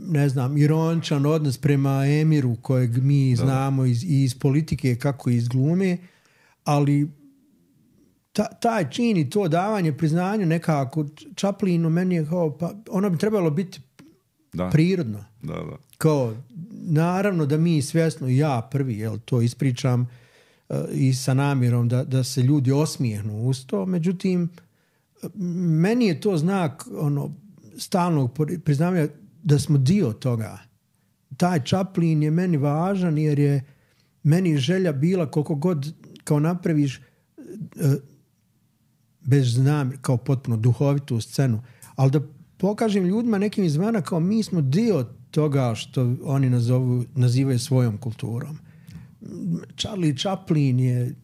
[SPEAKER 2] ne znam, ironičan odnos prema Emiru kojeg mi da. znamo iz, iz politike kako iz glume, ali Ta, taj čin i to davanje priznanja nekako Chaplinu meni je kao, pa ono bi trebalo biti da. prirodno.
[SPEAKER 1] Da, da.
[SPEAKER 2] Kao, naravno da mi svjesno, ja prvi, jel, to ispričam uh, i sa namjerom da, da se ljudi osmijehnu uz to, međutim, meni je to znak ono, stalnog priznanja da smo dio toga. Taj Chaplin je meni važan jer je meni želja bila koliko god kao napraviš uh, bez znam, kao potpuno duhovitu scenu, ali da pokažem ljudima nekim izvana kao mi smo dio toga što oni nazovu, nazivaju svojom kulturom. Charlie Chaplin je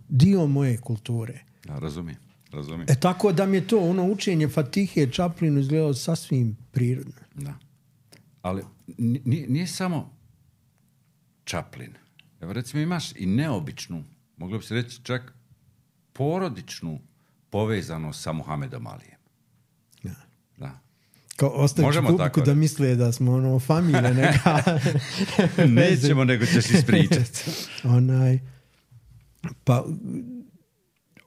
[SPEAKER 2] dio moje kulture.
[SPEAKER 1] Ja, razumijem, razumijem.
[SPEAKER 2] E tako da mi je to ono učenje Fatihe Chaplinu izgledalo sasvim prirodno.
[SPEAKER 1] Da. Ali nije, nije samo Chaplin. Evo recimo imaš i neobičnu, moglo bi se reći čak porodičnu povezanost sa Muhamedom Alijem.
[SPEAKER 2] Da.
[SPEAKER 1] Da.
[SPEAKER 2] Kao ostavić publiku da misle da smo ono familije neka.
[SPEAKER 1] Nećemo, nego ćeš ispričati.
[SPEAKER 2] Onaj, pa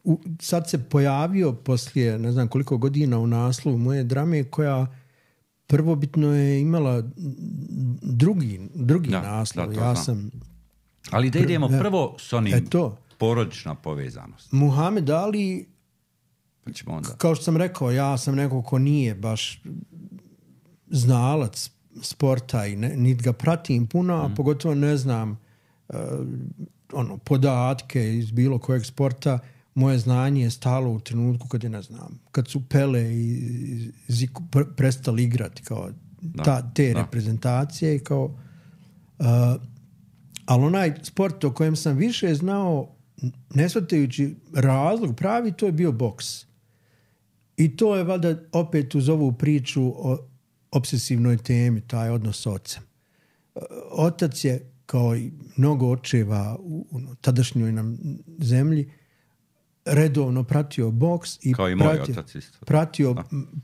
[SPEAKER 2] u, sad se pojavio poslije ne znam koliko godina u naslovu moje drame koja prvobitno je imala drugi, drugi
[SPEAKER 1] da,
[SPEAKER 2] naslov.
[SPEAKER 1] Da,
[SPEAKER 2] ja
[SPEAKER 1] znam.
[SPEAKER 2] sam...
[SPEAKER 1] Ali da idemo
[SPEAKER 2] pr-
[SPEAKER 1] prvo s onim
[SPEAKER 2] eto,
[SPEAKER 1] porodična povezanost.
[SPEAKER 2] Muhamed Ali,
[SPEAKER 1] Pa ćemo onda.
[SPEAKER 2] kao što sam rekao, ja sam neko ko nije baš znalac sporta i ne, niti ga pratim puno, a mm. pogotovo ne znam uh, ono, podatke iz bilo kojeg sporta. Moje znanje je stalo u trenutku kad je, ne znam, kad su Pele i Zico pre- prestali igrati kao
[SPEAKER 1] da,
[SPEAKER 2] ta, te
[SPEAKER 1] da.
[SPEAKER 2] reprezentacije. Kao, uh, ali onaj sport o kojem sam više znao, ne shvatajući razlog pravi, to je bio boks. I to je valjda opet uz ovu priču o obsesivnoj temi, taj odnos s ocem. Otac je, kao i mnogo očeva u, u tadašnjoj nam zemlji, redovno pratio boks i,
[SPEAKER 1] kao i moj
[SPEAKER 2] pratio,
[SPEAKER 1] otac isto.
[SPEAKER 2] pratio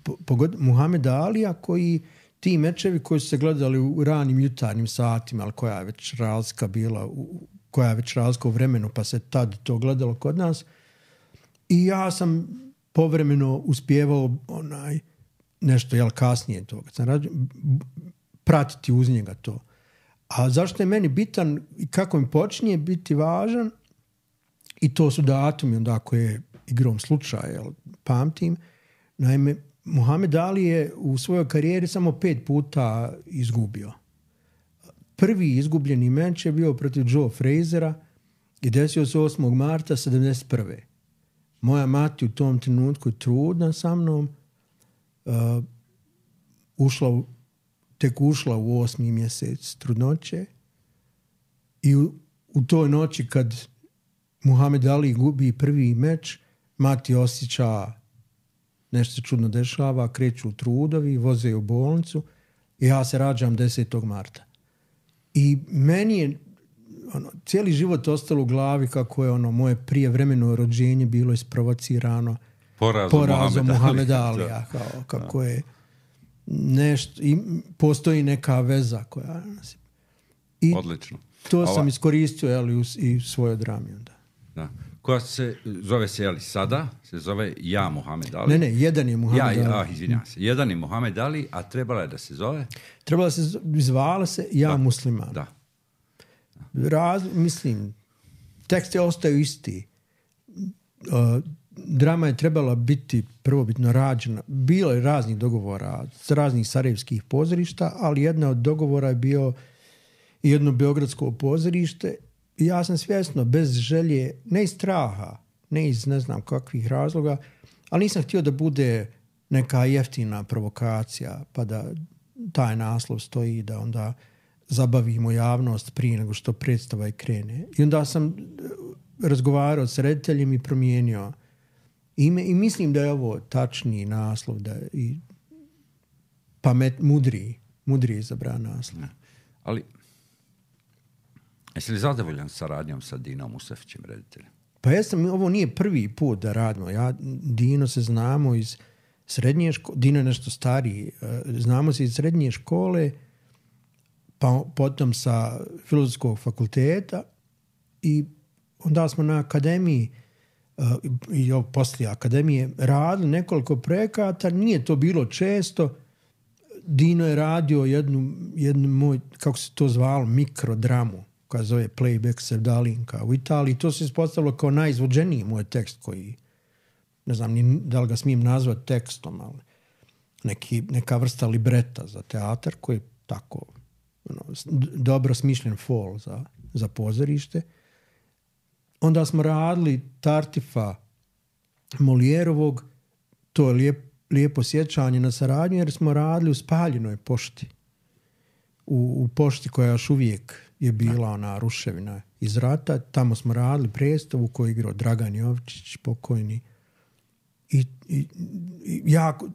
[SPEAKER 2] po, pogod, Muhameda Alija, koji ti mečevi koji su se gledali u ranim jutarnjim satima, ali koja je već razlika bila, u, koja je već razlika u vremenu, pa se tad to gledalo kod nas. I ja sam povremeno uspjevao onaj nešto, jel, kasnije to, kad sam radio, pratiti uz njega to. A zašto je meni bitan i kako mi počinje biti važan, i to su datumi onda koje igrom slučaja, jel, pamtim. Naime, Muhamed Ali je u svojoj karijeri samo pet puta izgubio. Prvi izgubljeni meč je bio protiv Joe Frazera i desio se osmog marta sedamdeset prve. Moja mati u tom trenutku je trudna sa mnom, uh, ušla u, tek ušla u osmi mjesec trudnoće i u, u toj noći kad Muhamed Ali gubi prvi meč, mati osjeća nešto se čudno dešava, kreću trudovi, voze u bolnicu i ja se rađam desetog marta. I meni je ono, cijeli život ostalo u glavi kako je ono moje prijevremeno rođenje bilo isprovocirano
[SPEAKER 1] porazom,
[SPEAKER 2] porazom Muhameda
[SPEAKER 1] Ali.
[SPEAKER 2] Alija. Kao, kako je nešto, i postoji neka veza koja nas... I
[SPEAKER 1] odlično.
[SPEAKER 2] to
[SPEAKER 1] Ova...
[SPEAKER 2] sam iskoristio, jeli, u, i u svojoj drami onda.
[SPEAKER 1] Da. Koja se zove se, jeli, sada se zove Ja Muhamed Ali.
[SPEAKER 2] Ne, ne, jedan je Muhamed Ali.
[SPEAKER 1] Ja, ah, izvinjam se. Jedan je Muhamed Ali, a trebala je da se zove?
[SPEAKER 2] Trebala se zvala se Ja
[SPEAKER 1] da.
[SPEAKER 2] Musliman.
[SPEAKER 1] Da.
[SPEAKER 2] Raz, mislim, tekst je ostao isti. Uh, drama je trebala biti prvobitno rađena. Bilo je raznih dogovora s raznih sarajevskih pozorišta, ali jedna od dogovora je bio jedno beogradsko pozorište. I ja sam svjesno, bez želje, ne iz straha, ne iz ne znam kakvih razloga, ali nisam htio da bude neka jeftina provokacija, pa da taj naslov stoji, da onda zabavimo javnost prije nego što predstava i krene. I onda sam razgovarao s rediteljem i promijenio ime i mislim da je ovo tačniji naslov, da je i pamet, mudriji, mudriji izabran naslov.
[SPEAKER 1] Ali jesi li zadovoljan sa radnjom sa Dinom Musafićem, rediteljem?
[SPEAKER 2] Pa jesam, ovo nije prvi put da radimo. Ja, Dino se znamo iz srednje škole, Dino je nešto stariji, znamo se iz srednje škole, pa potom sa Filozofskog fakulteta i onda smo na akademiji i poslije akademije radili nekoliko projekata, nije to bilo često. Dino je radio jednu, jednu moj, kako se to zvalo, mikrodramu, koja zove Playback Sevdalinka u Italiji. To se ispostavilo kao najizvođeniji moj tekst koji, ne znam ni da li ga smijem nazvati tekstom, ali neki, neka vrsta libreta za teatar koji je tako ono, dobro smišljen fol za, za pozorište. onda smo radili Tartifa Molijerovog, to je lijep, lijepo sjećanje na saradnju, jer smo radili u spaljenoj pošti. U, u pošti koja još uvijek je bila ona ruševina iz rata. Tamo smo radili predstavu koju je igrao Dragan Jovičić, pokojni. I, i, i jako,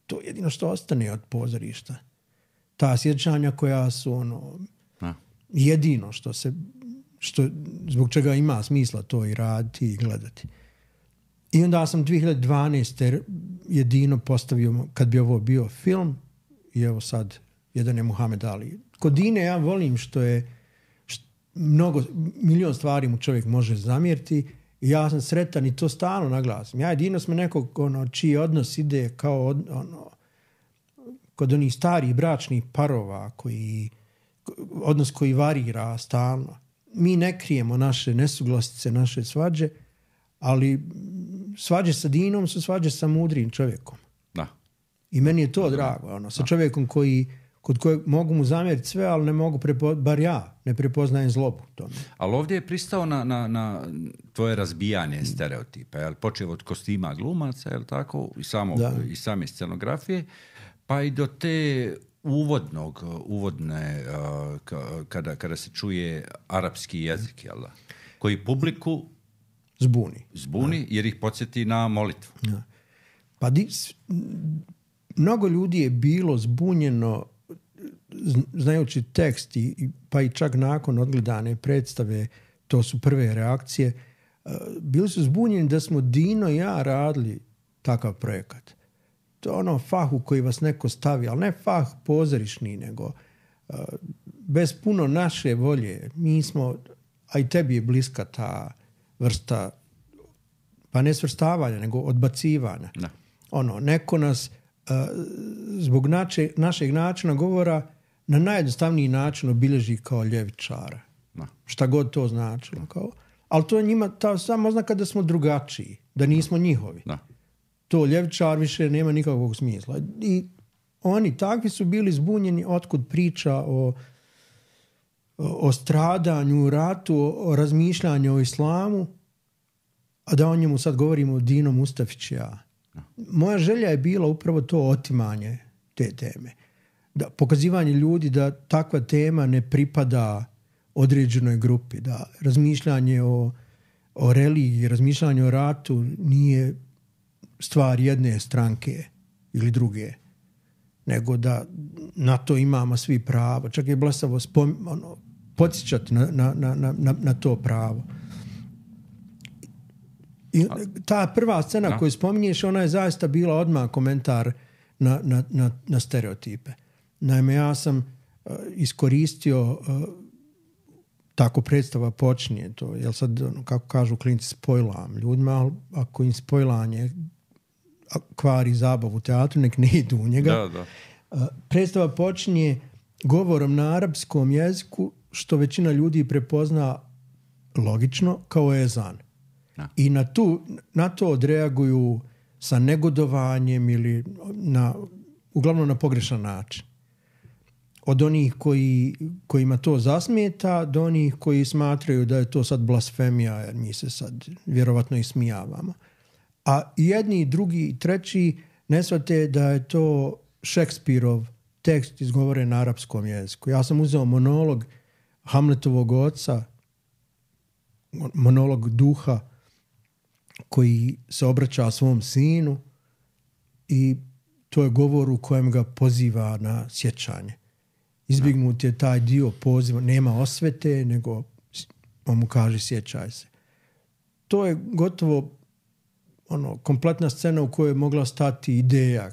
[SPEAKER 2] to je jedino što ostane od pozorišta. Ta sjećanja koja su ono, a. jedino što se, što, zbog čega ima smisla to i raditi i gledati. I onda sam dvije hiljade dvanaeste jedino postavio, kad bi ovo bio film, i evo sad, jedan je Muhammed Ali. Kod Dine ja volim što je što mnogo, milion stvari mu čovjek može zamjeriti i ja sam sretan i to stalno naglasim. Ja i Dino smo nekog ono, čiji odnos ide kao od, ono, kod onih starih bračnih parova koji, odnos koji varira stalno. Mi ne krijemo naše nesuglasice, naše svađe, ali svađe sa Dinom su svađe sa mudrim čovjekom.
[SPEAKER 1] Da.
[SPEAKER 2] I meni je to drago. Ono, sa čovjekom koji, kod kojeg mogu mu zamjeriti sve, ali ne mogu, prepo, bar ja, ne prepoznajem zlobu tome.
[SPEAKER 1] Ali ovdje je pristao na, na, na tvoje razbijanje stereotipa. Jel? Počeo od kostima glumaca, jel tako? I, samo, i same scenografije, pa i do te uvodnog, uvodne, uh, kada, kada se čuje arapski jezik, jel da? Koji publiku
[SPEAKER 2] Zbuni.
[SPEAKER 1] Zbuni, ja. Jer ih podsjeti na molitvu.
[SPEAKER 2] Ja. Pa di, mnogo ljudi je bilo zbunjeno znajući tekst i, pa i čak nakon odgledane predstave, to su prve reakcije, bili su zbunjeni da smo Dino i ja radili takav projekat. To je ono fah u koji vas neko stavi, ali ne fah pozorišni, nego bez puno naše volje. Mi smo, a i tebi je bliska ta vrsta, pa ne svrstavanja, nego odbacivanja.
[SPEAKER 1] Da.
[SPEAKER 2] Ono, neko nas uh, zbog nače, našeg načina govora na najjednostavniji način obilježi kao ljevičara.
[SPEAKER 1] Da.
[SPEAKER 2] Šta god to značilo. Kao, ali to je njima ta samo oznaka da smo drugačiji, da nismo njihovi.
[SPEAKER 1] Da.
[SPEAKER 2] To ljevičar više nema nikakvog smisla. I oni takvi su bili zbunjeni otkud priča o o stradanju, o ratu, o razmišljanju o islamu, a da o njemu sad govorimo o Dino Mustafić i ja. Moja želja je bila upravo to otimanje te teme. Da, pokazivanje ljudi da takva tema ne pripada određenoj grupi, da razmišljanje o, o religiji, razmišljanje o ratu nije stvar jedne stranke ili druge, nego da na to imamo svi pravo. Čak je blesavo spom, ono, podsjećati na, na, na, na, na to pravo. I ta prva scena da. koju spominješ, ona je zaista bila odmah komentar na, na, na, na stereotipe. Naime, ja sam uh, iskoristio uh, tako predstava počinje to, jel sad, ono, kako kažu klinci, spojlam ljudima, ali ako im spojlanje kvari zabavu u teatru, nek ne idu u njega.
[SPEAKER 1] Da, da.
[SPEAKER 2] Uh, predstava počinje govorom na arapskom jeziku, što većina ljudi prepozna logično kao ezan.
[SPEAKER 1] Da.
[SPEAKER 2] I na, tu, na to odreaguju sa negodovanjem ili na, uglavnom na pogrešan način. Od onih koji, kojima to zasmeta do onih koji smatraju da je to sad blasfemija, jer mi se sad vjerovatno ismijavamo. A jedni, drugi i treći ne shvate da je to Šekspirov tekst izgovoren na arapskom jeziku. Ja sam uzeo monolog Hamletovog oca, monolog duha koji se obraća svom sinu i to je govor u kojem ga poziva na sjećanje. Izbjegnut je taj dio poziva, nema osvete, nego on mu kaže sjećaj se. To je gotovo ono, kompletna scena u kojoj je mogla stati ideja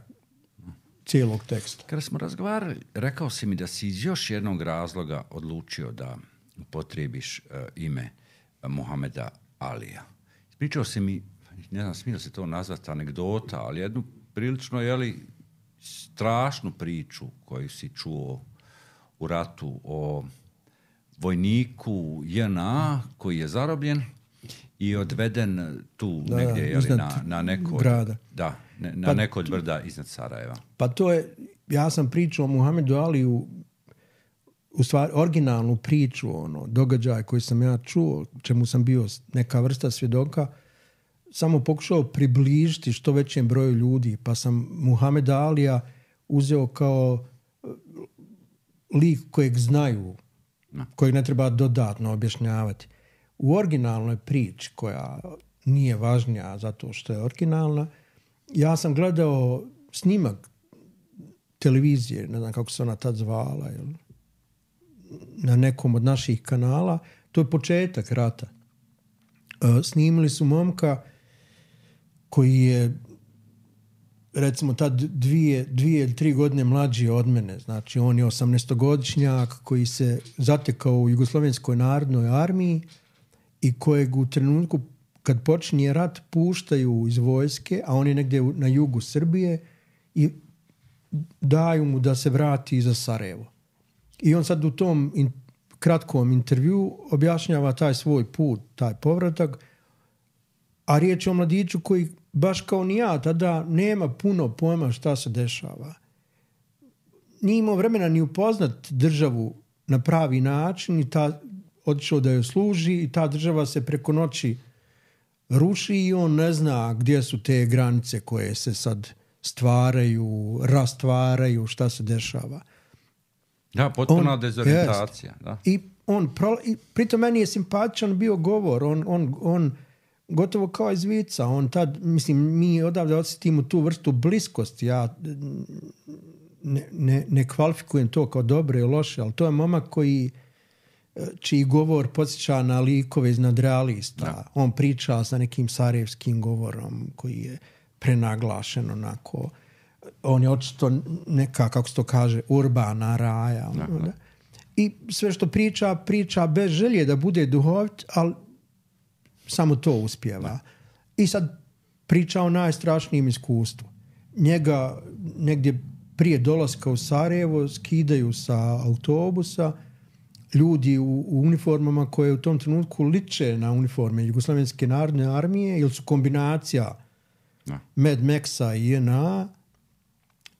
[SPEAKER 2] cijelog teksta.
[SPEAKER 1] Kada smo razgovarali, rekao si mi da si iz još jednog razloga odlučio da upotrebiš uh, ime Muhameda Alija. Pričao si mi, ne znam, smije se to nazvati anegdota, ali jednu prilično, jeli, strašnu priču koju si čuo u ratu o vojniku J N A koji je zarobljen i odveden tu da, negdje, jeli, na, na neko
[SPEAKER 2] grada.
[SPEAKER 1] Da, ne, na
[SPEAKER 2] pa,
[SPEAKER 1] neko od brda iznad Sarajeva.
[SPEAKER 2] Pa to je, ja sam pričao o Muhamedu Aliju u stvari originalnu priču, ono, događaj koji sam ja čuo, čemu sam bio neka vrsta svjedoka, samo pokušao približiti što većem broju ljudi, pa sam Muhameda Alija uzeo kao lik kojeg znaju, no. kojeg ne treba dodatno objašnjavati. U originalnoj priči, koja nije važnija zato što je originalna, ja sam gledao snimak televizije, ne znam kako se ona tad zvala, jel? Na nekom od naših kanala. To je početak rata. E, snimili su momka koji je recimo tad dvije, dvije ili tri godine mlađi od mene. Znači on je osamnaestogodišnjak koji se zatekao u Jugoslovenskoj narodnoj armiji i kojeg u trenutku kad počinje rat puštaju iz vojske, a on je negdje na jugu Srbije i daju mu da se vrati za Sarajevo. I on sad u tom in, kratkom intervju objašnjava taj svoj put, taj povratak, a riječ je o mladiću koji baš kao ni ja tada nema puno pojma šta se dešava. Nije imao vremena ni upoznat državu na pravi način i ta otišao da joj služi i ta država se preko noći ruši i on ne zna gdje su te granice koje se sad stvaraju, rastvaraju, šta se dešava.
[SPEAKER 1] Da, potpuna on, dezorientacija. Da.
[SPEAKER 2] I on, pro, i pritom meni je simpatičan bio govor, on, on, on gotovo kao iz vica, on tad, mislim, mi odavde osjetimo tu vrstu bliskosti, ja ne, ne, ne kvalifikujem to kao dobro i loše, ali to je momak koji čiji govor podsjeća na likove iz nadrealista. Da. On priča sa nekim sarajevskim govorom koji je prenaglašen onako. On je očito neka, kako se to kaže, urbana raja. Da, da. I sve što priča, priča bez želje da bude duhovit, ali samo to uspijeva. Da. I sad priča o najstrašnijem iskustvu. Njega negdje prije dolaska u Sarajevo skidaju sa autobusa ljudi u, u uniformama koje u tom trenutku liče na uniforme Jugoslovenske narodne armije ili su kombinacija no. Mad Maxa i J N A.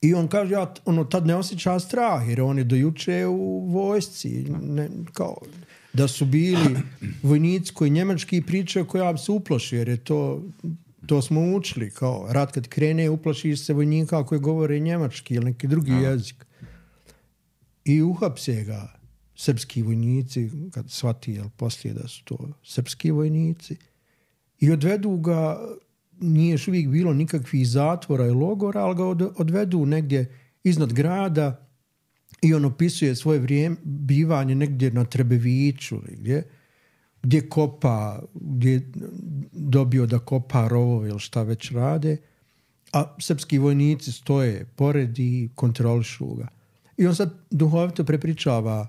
[SPEAKER 2] I on kaže, ja ono, tad ne osjeća strah jer on je do juče u vojsci. Ne, kao, da su bili vojnici koji njemački pričaju koji ja bi se uplaši jer je to, to smo učili. Kao, rat kad krene uplašiš se vojnika koji govore njemački ili neki drugi no. jezik. I uhapse ga srpski vojnici, kad shvati jel, poslije da su to srpski vojnici, i odvedu ga, nije još uvijek bilo nikakvih zatvora i logora, ali ga odvedu negdje iznad grada i on opisuje svoje vrijeme, bivanje negdje na Trebeviću, gdje, gdje kopa, gdje je dobio da kopa rovove ili šta već rade, a srpski vojnici stoje pored i kontrolišu ga. I on sad duhovito prepričava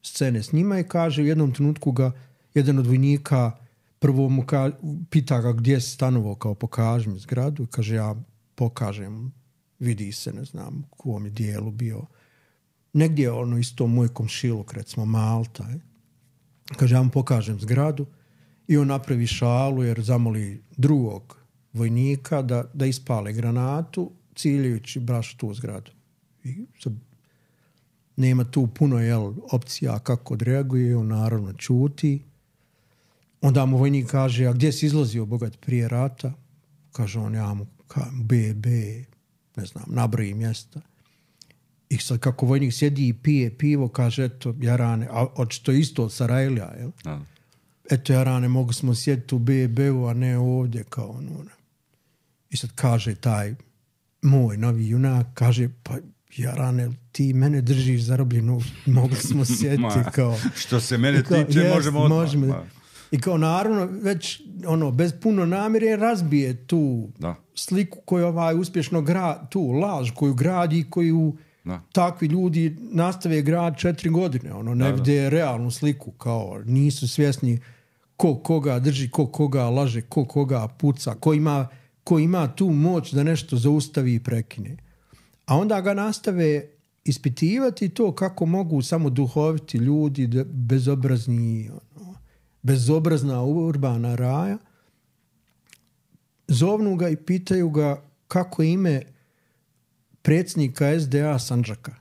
[SPEAKER 2] scene s njima i kaže u jednom trenutku ga jedan od vojnika prvo mu ka, pita ga gdje se stanovo, kao pokaži mi zgradu, i kaže ja pokažem, vidi se, ne znam u kom je dijelu bio, negdje ono isto moj komšiluk, recimo Malta, je. Kaže ja mu pokažem zgradu i on napravi šalu jer zamoli drugog vojnika da, da ispale granatu ciljajući baš tu zgradu. I sad nema tu puno jel, opcija kako odreaguje, on naravno čuti. Onda mu vojnik kaže, a gdje si izlazio bogat prije rata? Kaže on, ja mu B B, ne znam, nabroji mjesta. I sad kako vojnik sjedi i pije pivo, kaže, eto, Jarane, a očito isto od Sarajlija, jel? A. Eto, Jarane, mogu smo sjediti u B B-u, a ne ovdje, kao ono. I sad kaže taj moj novi junak, kaže, pa Jarane, ti mene držiš zarobljenu, mogli smo sjediti kao...
[SPEAKER 1] Što se mene kao, tiče, jest, možemo odmah. Možemo.
[SPEAKER 2] I kao naravno, već ono, bez puno namjere razbije tu da. sliku koju ovaj uspješno gradi, tu laž koju gradi, koju da. takvi ljudi nastave grad četiri godine. Ono, ne da, vide da. realnu sliku, kao nisu svjesni ko koga drži, ko koga laže, ko koga puca, ko ima, ko ima tu moć da nešto zaustavi i prekine. A onda ga nastave ispitivati to kako mogu samo duhoviti ljudi, bezobrazni, ono, bezobrazna urbana raja. Zovnu ga i pitaju ga kako ime predsjednika S D A Sandžaka.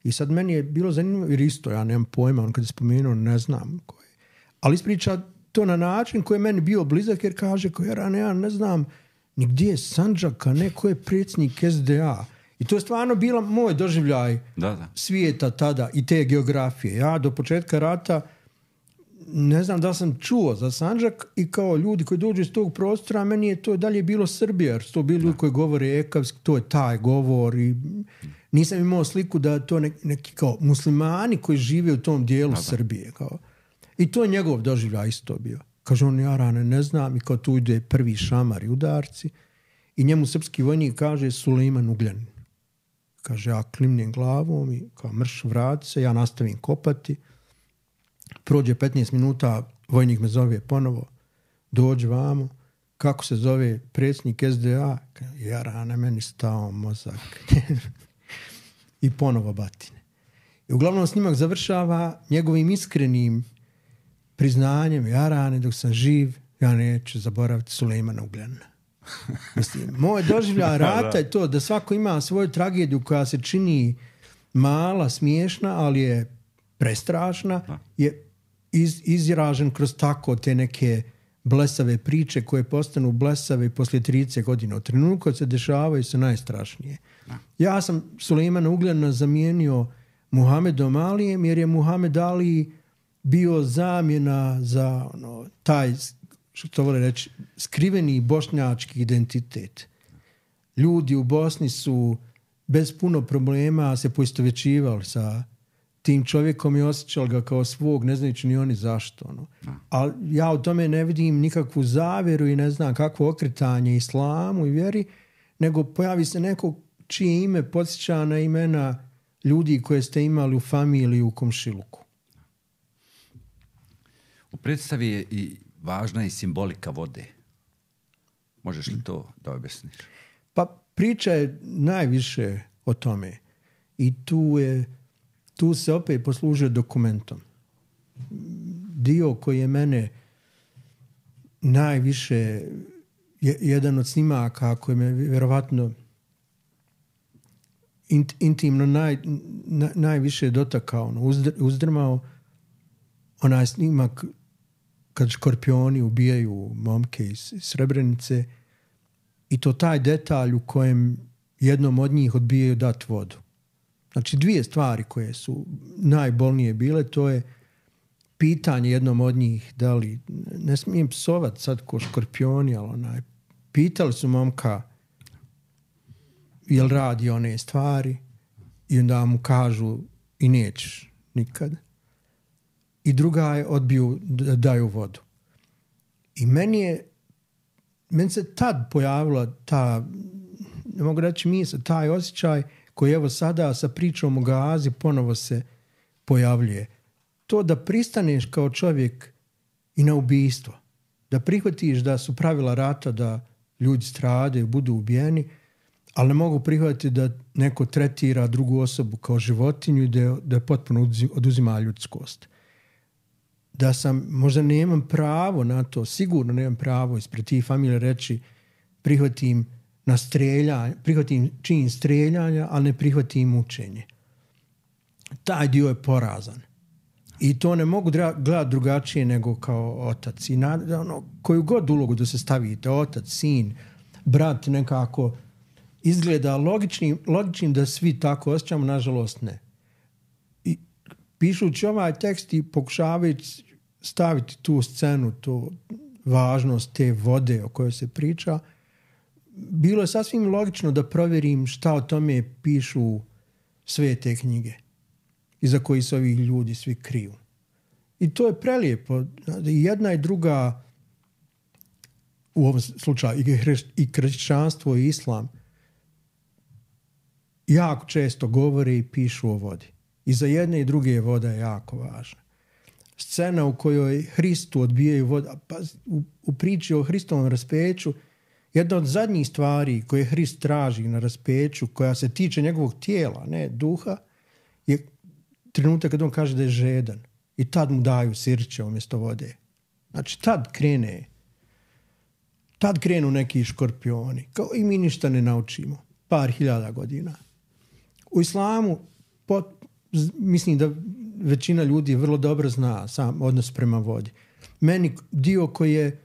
[SPEAKER 2] I sad meni je bilo zanimljivo, jer isto, ja nemam pojma, on kad je spomenuo, ne znam ko je. Ali ispriča to na način koji je meni bio blizak, jer kaže, ko ja, ja ne znam ni gdje je Sandžaka, neko je predsjednik S D A. I to je stvarno bila moj doživljaj
[SPEAKER 1] da, da.
[SPEAKER 2] svijeta tada i te geografije. Ja do početka rata ne znam da sam čuo za Sandžak i kao ljudi koji dođu iz tog prostora, meni je to dalje bilo Srbija, jer su to bili ljudi koji govore ekavski, to je taj govor i nisam imao sliku da to neki, neki kao muslimani koji žive u tom dijelu da, da. Srbije. Kao. I to je njegov doživljaj isto bio. Kaže on, ja rane ne znam, i kao tu ide prvi šamar i udarci i njemu srpski vojnik kaže Sulejman Ugljanin. Kaže, ja klimnem glavom i kao mrš vrati se, ja nastavim kopati. Prođe petnaest minuta, vojnik me zove ponovo, dođe vamo, kako se zove predsjednik S D A? Ja rane, meni stao mozak. I ponovo batine. I uglavnom snimak završava njegovim iskrenim priznanjem, ja rane, dok sam živ, ja neću zaboraviti Sulejmana Ugljanina. Mislim, moj doživljaj rata je to da svako ima svoju tragediju koja se čini mala, smiješna, ali je prestrašna, je iz, izražen kroz tako te neke blesave priče koje postanu blesave poslije trideset godina. U trenutku kad se dešavaju su najstrašnije. Ja sam Sulejmana Ugljanina zamijenio Muhamedom Alijem, jer je Muhamed Ali bio zamjena za ono, taj, što to vole reći, skriveni bošnjački identitet. Ljudi u Bosni su bez puno problema se poistovjećivali sa tim čovjekom i osjećali ga kao svog, ne znajući ni oni zašto. Ono. Ali ja u tome ne vidim nikakvu zavjeru i ne znam kakvo okretanje islamu i vjeri, nego pojavi se neko čije ime podsjeća na imena ljudi koje ste imali u familiji u komšiluku.
[SPEAKER 1] U predstavi je i važna i simbolika vode. Možeš li to da objasniš?
[SPEAKER 2] Pa priča je najviše o tome. I tu, je, tu se opet poslužuje dokumentom. Dio koji je mene najviše, jedan od snimaka koji me vjerovatno int, intimno naj, na, najviše dotakao, ono, uzdr, uzdrmao, onaj snimak kad škorpioni ubijaju momke iz Srebrenice i to taj detalj u kojem jednom od njih odbijaju dati vodu. Znači dvije stvari koje su najbolnije bile, to je pitanje jednom od njih, da li, ne smijem psovat sad ko škorpioni, ali onaj, pitali su momka jel radi one stvari i onda mu kažu i nećeš nikad. I druga je odbiju da daju vodu. I meni je, meni se tad pojavila ta, ne mogu reći misao, taj osjećaj koji evo sada sa pričom o Gazi ponovo se pojavljuje. To da pristaneš kao čovjek i na ubijstvo. Da prihvatiš da su pravila rata da ljudi stradaju, budu ubijeni, ali ne mogu prihvatiti da neko tretira drugu osobu kao životinju i da je, da je potpuno oduzima ljudskost. Da sam, možda nemam pravo na to, sigurno nemam pravo ispred tih familije reći prihvatim na streljanje, prihvatim čin streljanja, ali ne prihvatim mučenje. Taj dio je porazan. I to ne mogu gledati drugačije nego kao otac. I na, ono, koju god ulogu da se stavite, otac, sin, brat, nekako izgleda logičnim, logičnim da svi tako osjećamo, nažalost ne. I pišući ovaj tekst i pokušavajući staviti tu scenu, tu važnost te vode o kojoj se priča, bilo je sasvim logično da provjerim šta o tome pišu sve te knjige iza koji se ovi ljudi svi kriju. I to je prelijepo. I jedna i druga, u ovom slučaju i kršćanstvo i islam, jako često govore i pišu o vodi. I za jedne i druge voda je jako važna. Scena u kojoj Hristu odbijaju vodu, pa u, u priči o Hristovom raspeću, jedna od zadnjih stvari koje Hrist traži na raspeću, koja se tiče njegovog tijela, ne duha, je trenutak kad on kaže da je žedan. I tad mu daju sirće umjesto vode. Znači, tad krene, tad krenu neki škorpioni. Kao i mi ništa ne naučimo. Par hiljada godina. U islamu pot, mislim da većina ljudi vrlo dobro zna sam odnos prema vodi. Meni dio koji je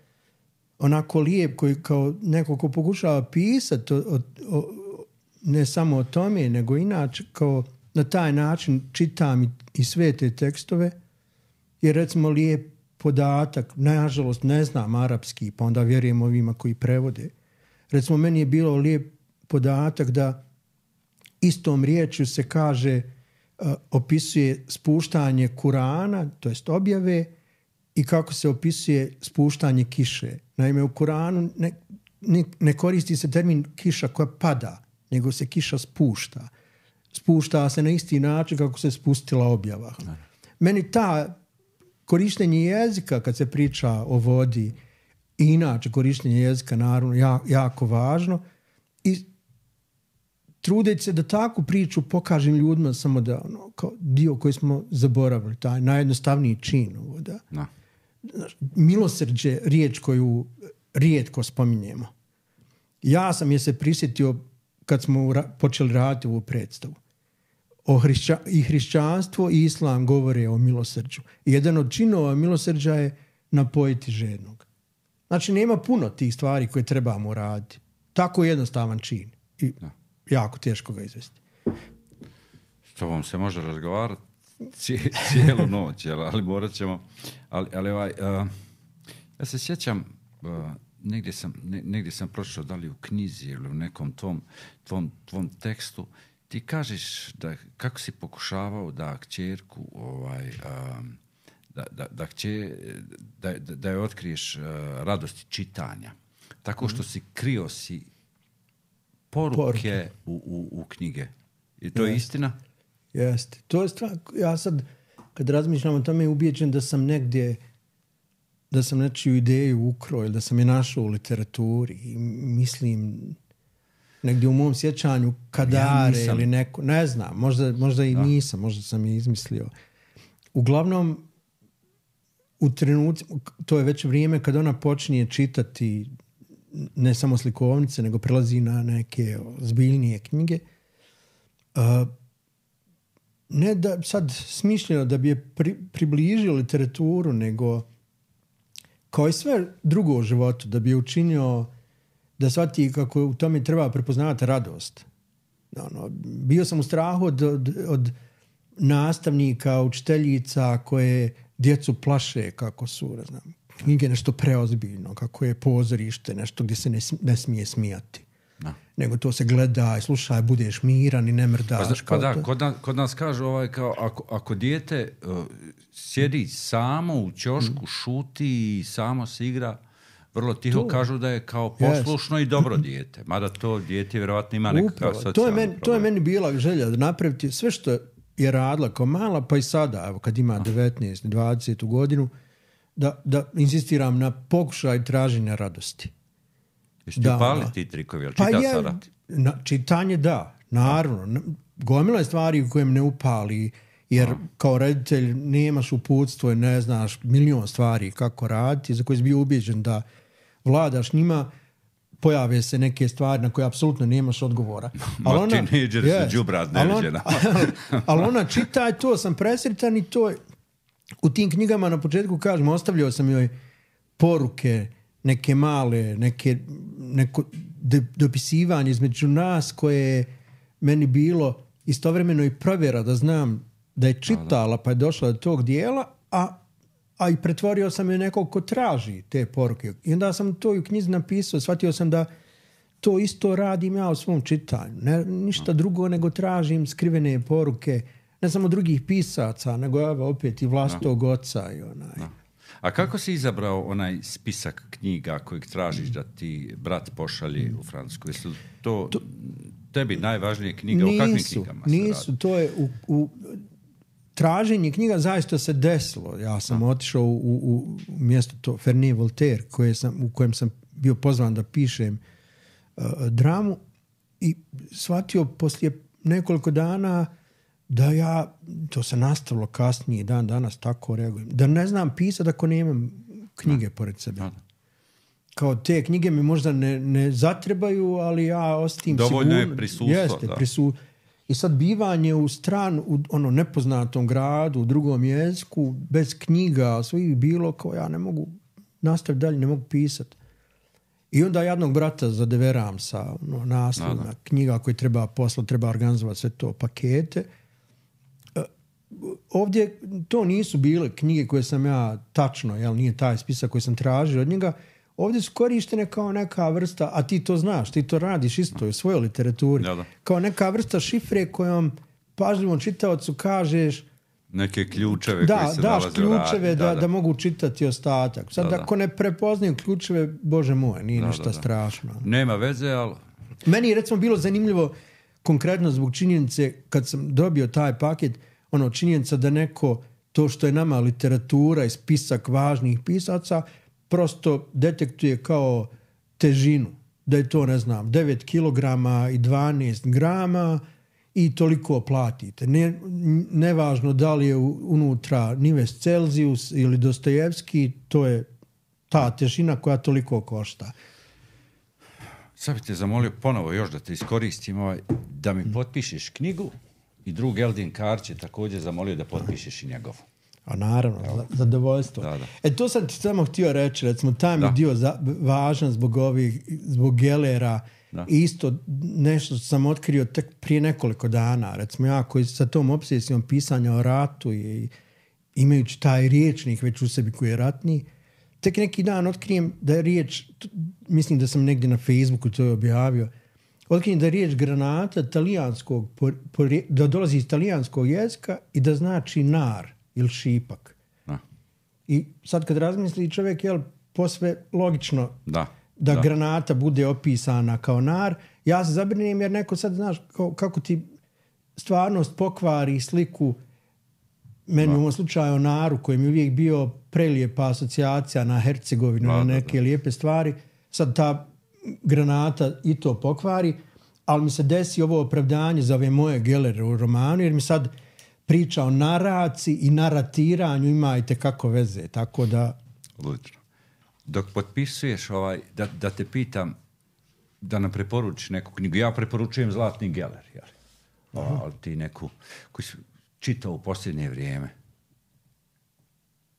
[SPEAKER 2] onako lijep, koji kao neko ko pokušava pisati o, o, o, ne samo o tome, nego inače kao na taj način čitam i, i sve te tekstove, jer recimo lijep podatak, nažalost ne znam arapski, pa onda vjerujem ovima koji prevode. Recimo meni je bilo lijep podatak da istom riječju se kaže, uh, opisuje spuštanje Kurana, to jest objave, i kako se opisuje spuštanje kiše. Naime, u Kuranu ne, ne, ne koristi se termin kiša koja pada, nego se kiša spušta. Spušta se na isti način kako se spustila objava. Ne. Meni ta korištenje jezika kad se priča o vodi i inače korištenje jezika naravno jako, jako važno i trudeći se da takvu priču pokažem ljudima samo da ono, kao dio koji smo zaboravili, taj najjednostavniji čin ovo da. No. Milosrđe, riječ koju rijetko spominjemo. Ja sam je se prisjetio kad smo ra- počeli raditi ovu predstavu. O hrišća- I hrišćanstvo i islam govore o milosrđu. I jedan od činova milosrđa je napojiti žednog. Znači, nema puno tih stvari koje trebamo raditi. Tako jednostavan čin. I no. jako teško ga izvesti.
[SPEAKER 1] S tobom se može razgovarati cijelu noć, ali morat ćemo... Ali, ali ovaj, uh, ja se sjećam, uh, negdje, sam, ne, negdje sam pročitao, da li u knjizi ili u nekom tvom, tvom, tvom tekstu, ti kažeš da kako si pokušavao da kćerku ovaj, um, da, da, da, kće, da, da, da je otkriješ uh, radosti čitanja. Tako što si krio si poruke, poruke. U, u, u knjige. I to Jeste. je istina?
[SPEAKER 2] Jeste. To je stvar, ja sad kad razmišljam o tome ubijeđen da sam negdje da sam nečiju ideju ukrao ili da sam je našao u literaturi i mislim negdje u mom sjećanju Kadare ja ili neko, ne znam, možda, možda i da. nisam, možda sam je izmislio. Uglavnom, u trenutku, to je već vrijeme kad ona počinje čitati ne samo slikovnice, nego prelazi na neke zbiljnije knjige. Uh, ne da sad smišljeno da bi je pri, približio literaturu, nego kao i sve drugo u životu, da bi je učinio da shvati kako u tome treba prepoznavati radost. Ono, bio sam u strahu od, od, od nastavnika, učiteljica koje djecu plaše kako su, ne znam, knjige nešto preozbiljno, kako je pozorište, nešto gdje se ne, ne smije smijati. No. Nego to se gleda i slušaj, budeš miran i ne mrdaš.
[SPEAKER 1] Pa, pa da, kod nas, kod nas kažu ovaj, kao, ako, ako dijete uh, sjedi samo u ćošku, mm. šuti i samo se igra, vrlo tiho to. Kažu da je kao poslušno yes. i dobro dijete. Mada to dijete vjerovatno ima nekakav socijalni
[SPEAKER 2] to je meni,
[SPEAKER 1] problem.
[SPEAKER 2] To je meni bila želja da napraviti sve što je radila kao mala, pa i sada, evo, kad ima devetnaest dvadeset godinu, da, da insistiram na pokušaj traženja radosti.
[SPEAKER 1] Jesi ti upali ti trikovi, ali čita pa je, sada?
[SPEAKER 2] Na, čitanje da, naravno. Gomila je stvari u kojem ne upali, jer a. kao reditelj nemaš uputstvo i ne znaš milion stvari kako raditi, za koje si bio ubijeđen da vladaš njima, pojave se neke stvari na koje apsolutno nemaš odgovora.
[SPEAKER 1] Ali ona, tineđeri yes, su džubrat neviđena.
[SPEAKER 2] Ali ona čita i to sam presretan i to u tim knjigama na početku kažem, ostavljao sam joj poruke, neke male, neke, neko dopisivanje između nas koje je meni bilo istovremeno i provjera da znam da je čitala pa je došla do tog dijela, a, a i pretvorio sam je nekog ko traži te poruke. I onda sam to i u knjizi napisao, shvatio sam da to isto radim ja u svom čitanju. Ne, ništa drugo nego tražim skrivene poruke, ne samo drugih pisaca, nego evo opet i vlastitog oca i onaj.
[SPEAKER 1] No. A kako si izabrao onaj spisak knjiga kojeg tražiš da ti brat pošalje u Francusku? Jesu to, to tebi najvažnije knjiga? Nisu, o kakvim knjigama se
[SPEAKER 2] nisu, radi? To je u, u traženje knjiga zaista se desilo. Ja sam A. otišao u, u, u mjesto to Ferney Voltaire koje sam, u kojem sam bio pozvan da pišem uh, dramu i shvatio poslije nekoliko dana da ja, to se nastavilo kasnije, dan danas tako reagujem, da ne znam pisati ako nemam knjige no. pored sebe. No. Kao te knjige mi možda ne, ne zatrebaju, ali ja ostim sigurno.
[SPEAKER 1] Dovoljno je prisustvo.
[SPEAKER 2] Jeste, prisu, I sad bivanje u stranu, u ono nepoznatom gradu, u drugom jeziku, bez knjiga, svih bilo kao ja ne mogu nastaviti dalje, ne mogu pisati. I onda jednog brata zadeveram sa ono, naslovima knjiga koje treba poslati, treba organizovati sve to pakete. E, ovdje to nisu bile knjige koje sam ja tačno, jel, nije taj spisak koji sam tražio od njega. Ovdje su korištene kao neka vrsta, a ti to znaš, ti to radiš isto u svojoj literaturi, da, da. Kao neka vrsta šifre kojom pažljivom čitaocu kažeš
[SPEAKER 1] neke ključeve
[SPEAKER 2] da,
[SPEAKER 1] koji se
[SPEAKER 2] daš
[SPEAKER 1] nalaze
[SPEAKER 2] ključeve
[SPEAKER 1] u
[SPEAKER 2] da,
[SPEAKER 1] da,
[SPEAKER 2] da. da mogu čitati ostatak. Sad da, ako da. ne prepoznaju ključeve, bože moj, nije da, ništa da, da. strašno.
[SPEAKER 1] Nema veze, ali...
[SPEAKER 2] Meni je recimo bilo zanimljivo konkretno zbog činjenice kad sam dobio taj paket, ono činjenica da neko, to što je nama literatura i spisak važnih pisaca, prosto detektuje kao težinu. Da je to, ne znam, devet kilograma i dvanaest grama i toliko platite. Ne, nevažno da li je unutra Nives Celzijus ili Dostojevski, to je ta težina koja toliko košta.
[SPEAKER 1] Sad bih te zamolio ponovo još da te iskoristim, ovaj, da mi potpišeš knjigu i drug Eldin Karć je također zamolio da potpišeš i njegovu.
[SPEAKER 2] A naravno, da. zadovoljstvo.
[SPEAKER 1] Da, da.
[SPEAKER 2] E to sam ti samo htio reći, recimo, taj mi dio za, važan zbog ovih, zbog Gellera. Da. Isto nešto sam otkrio tek prije nekoliko dana. Recimo ja koji sa tom obsesijom pisanja o ratu i imajući taj riječnik već u sebi koji je ratni, tek neki dan otkrijem da je riječ, mislim da sam negdje na Facebooku to je objavio, otkrijem da je riječ granata talijanskog, da dolazi iz talijanskog jezika i da znači nar ili šipak. Da. I sad kad razmisli čovjek, jel, posve logično
[SPEAKER 1] da,
[SPEAKER 2] da,
[SPEAKER 1] da
[SPEAKER 2] granata bude opisana kao nar. Ja se zabrinem jer neko sad, znaš, kako, kako ti stvarnost pokvari sliku meni da. u ovom slučaju o naru koji mi uvijek bio prelijepa asocijacija na Hercegovinu, da, na neke da, da. lijepe stvari. Sad ta granata i to pokvari, ali mi se desi ovo opravdanje za ove moje Gellere u romanu, jer mi sad priča o naraciji i naratiranju ima i tekako veze, tako da...
[SPEAKER 1] Odlično. Dok potpisuješ, ovaj, da, da te pitam da nam preporučiš neku knjigu. Ja preporučujem Zlatni Geller, jel? O, ali ti neku koju si čitao u posljednje vrijeme.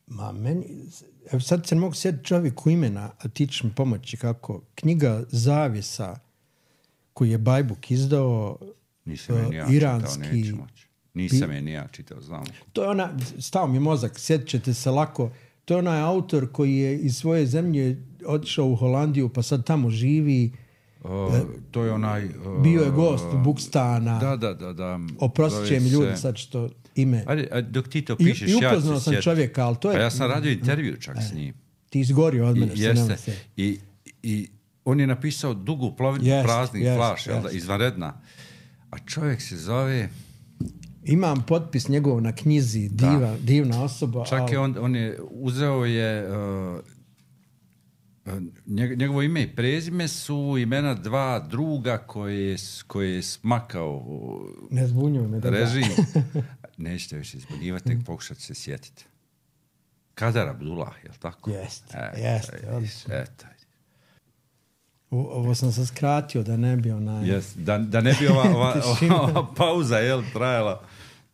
[SPEAKER 2] Ma meni... Evo sad se mogu sjetiti čovjeku imena, a ti ćeš mi pomoći kako. Knjiga Zavjesa koju je Bajbuk izdao,
[SPEAKER 1] Nisam uh, ja
[SPEAKER 2] iranski...
[SPEAKER 1] Čitao, Nisam je ni ja čitao, znam.
[SPEAKER 2] To je ona, stao mi mozak, sjetit ćete se lako, to je onaj autor koji je iz svoje zemlje otišao u Holandiju pa sad tamo živi.
[SPEAKER 1] Uh, to je onaj... Uh,
[SPEAKER 2] bio je gost Bukstana.
[SPEAKER 1] Da, da, da. da
[SPEAKER 2] Oprostit će mi ljudi se... sad što ime.
[SPEAKER 1] Ajde, ajde, dok ti to pišeš,
[SPEAKER 2] I, i upoznao
[SPEAKER 1] ja
[SPEAKER 2] sam sjeti. čovjeka, ali to je...
[SPEAKER 1] Pa ja sam radio intervju čak s njim.
[SPEAKER 2] Ti izgorio od mene.
[SPEAKER 1] I, jeste. Se I, I on je napisao dugu plovinu yes, praznih yes, flaš, yes. izvanredna. A čovjek se zove...
[SPEAKER 2] Imam potpis njegov na knjizi, diva, divna osoba.
[SPEAKER 1] Čak je on, on je uzeo je... Uh, njegovo ime i prezime su imena dva druga koje je, koje je smakao
[SPEAKER 2] ne zbunjuju me
[SPEAKER 1] režim. Nećete više zbunjivati, nek pokušati se sjetiti. Kadar Abdullah, je li tako?
[SPEAKER 2] Jeste, jeste.
[SPEAKER 1] Eto.
[SPEAKER 2] Ovo sam se skratio da ne bi onaj...
[SPEAKER 1] Yes, da, da ne bi ova, ova, ova pauza jel, trajala.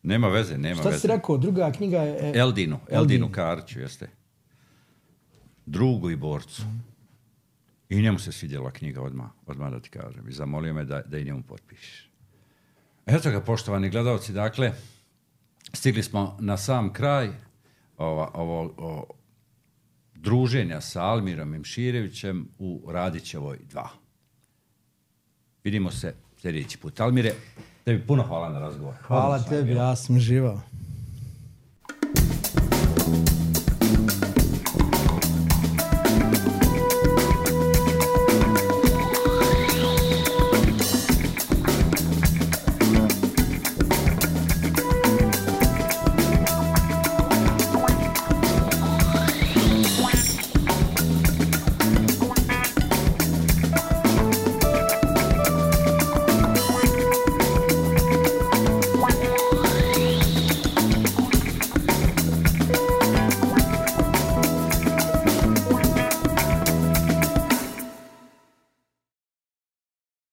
[SPEAKER 1] Nema veze, nema
[SPEAKER 2] Šta
[SPEAKER 1] veze.
[SPEAKER 2] Šta si rekao? Druga knjiga je...
[SPEAKER 1] Eldinu, Eldinu, Eldinu Karću, jeste. Drugu i borcu. Mm. I njemu se svidjela knjiga odmah, odmah da ti kažem. I zamolio me da, da i njemu potpišeš. Eto ga, poštovani gledalci, dakle, stigli smo na sam kraj ova, ovo, ovo, druženja sa Almirom Imširevićem u Radićevoj dva. Vidimo se sljedeći put. Almire, tebi puno hvala na razgovor.
[SPEAKER 2] Hvala tebi, ja sam živao.